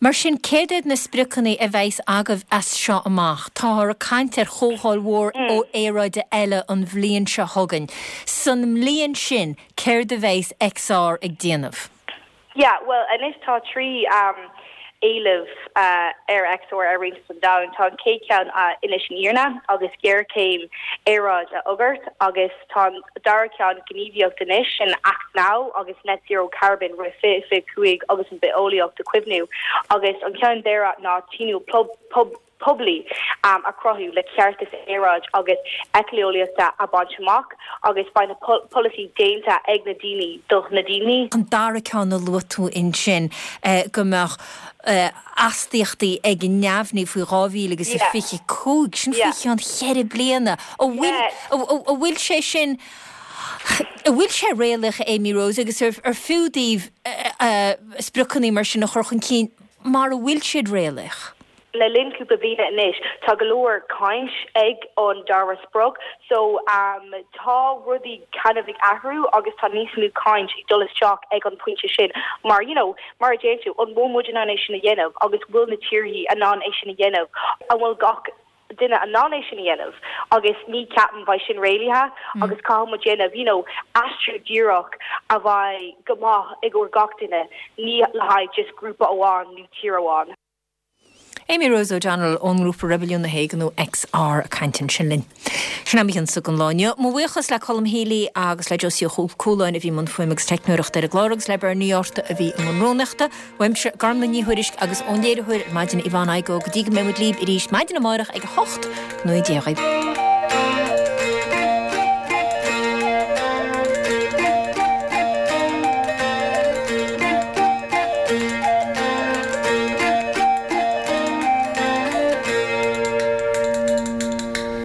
Mar sin céard iad na spriocanna a bheas agaibh as seo amach, Táthar ag caint ar chomhdháil mhór ó aeráide eile an bhliain seo chugainn. San mbliain sin céard a bheas XR ag déanamh. Yeah, well anois tá trí um, éileamh uh, ar XR ar roinnt an domhan tá an chéad cheann uh, Inis an Fhírinne agus géarchéim aeráid a fhógairt agus tá dara ceann gníomhaíocht anois sin Act Now agus net zero carbon roimh fiche fiche cúig agus an bhitheolaíocht a chaomhnú agus an ceann deireadh ná tionól pub, pub, poiblí um, a chruthú le ceartas aeráid agus éiceolaíochta a bhaint amach agus beidh na polasaí déanta ag na daoine do na daoine. An dara ceann a luaigh tú ansin eh, go mbeadh eh, astaíochtaí ag neamhní faoi dhá mhíle agus a fiche cúig sin faoi cheann ceithre bliana an bhfuil sé sin An bhfuil sé réalaíoch Amy Rose agus ar, ar fiú daoibh uh, spriocanna mar sin a chur chun cinn mar a bhfuil siad réalaíoch. le linn cúpla bliana anois tá go leor caint ag an dara sprioc so um, tá rudaí kind of ag athrú agus tá níos mó caint ag dul isteach ag an pointe sin mar you know mar a deir tú an bhfuil muid in ann é sin a dhéanamh agus bhfuil na tíortha in ann é sin a dhéanamh an bhfuil gach duine in ann é sin a dhéanamh agus ní ceapaim beidh sin réalaíoch mm. agus caithfidh muid déanamh you know aistriú díreach a bheidh go maith ag gach duine ní le haghaidh just grúpa amháin nó tír amháin. Amy Rose O'Donnell ón ngrúpa Reibiliún na hÉireann nó XR ag caint ansin linn. Sin am againn don lá inniu. Mo bhuíochas le Colm Healy agus le Josie Cúláin a bhí i mbun fuaime agus teicneoireachta ar an gclár agus le Bernie Orta a bhí i mbun rúnaíochta, Uaimse Gormlaith Ní Thuairisg agus ón léiritheoir maidin Yvonne Igoe go dtí go mbeidh muid libh arís maidin amárach ag a hocht go ndéaghaidh.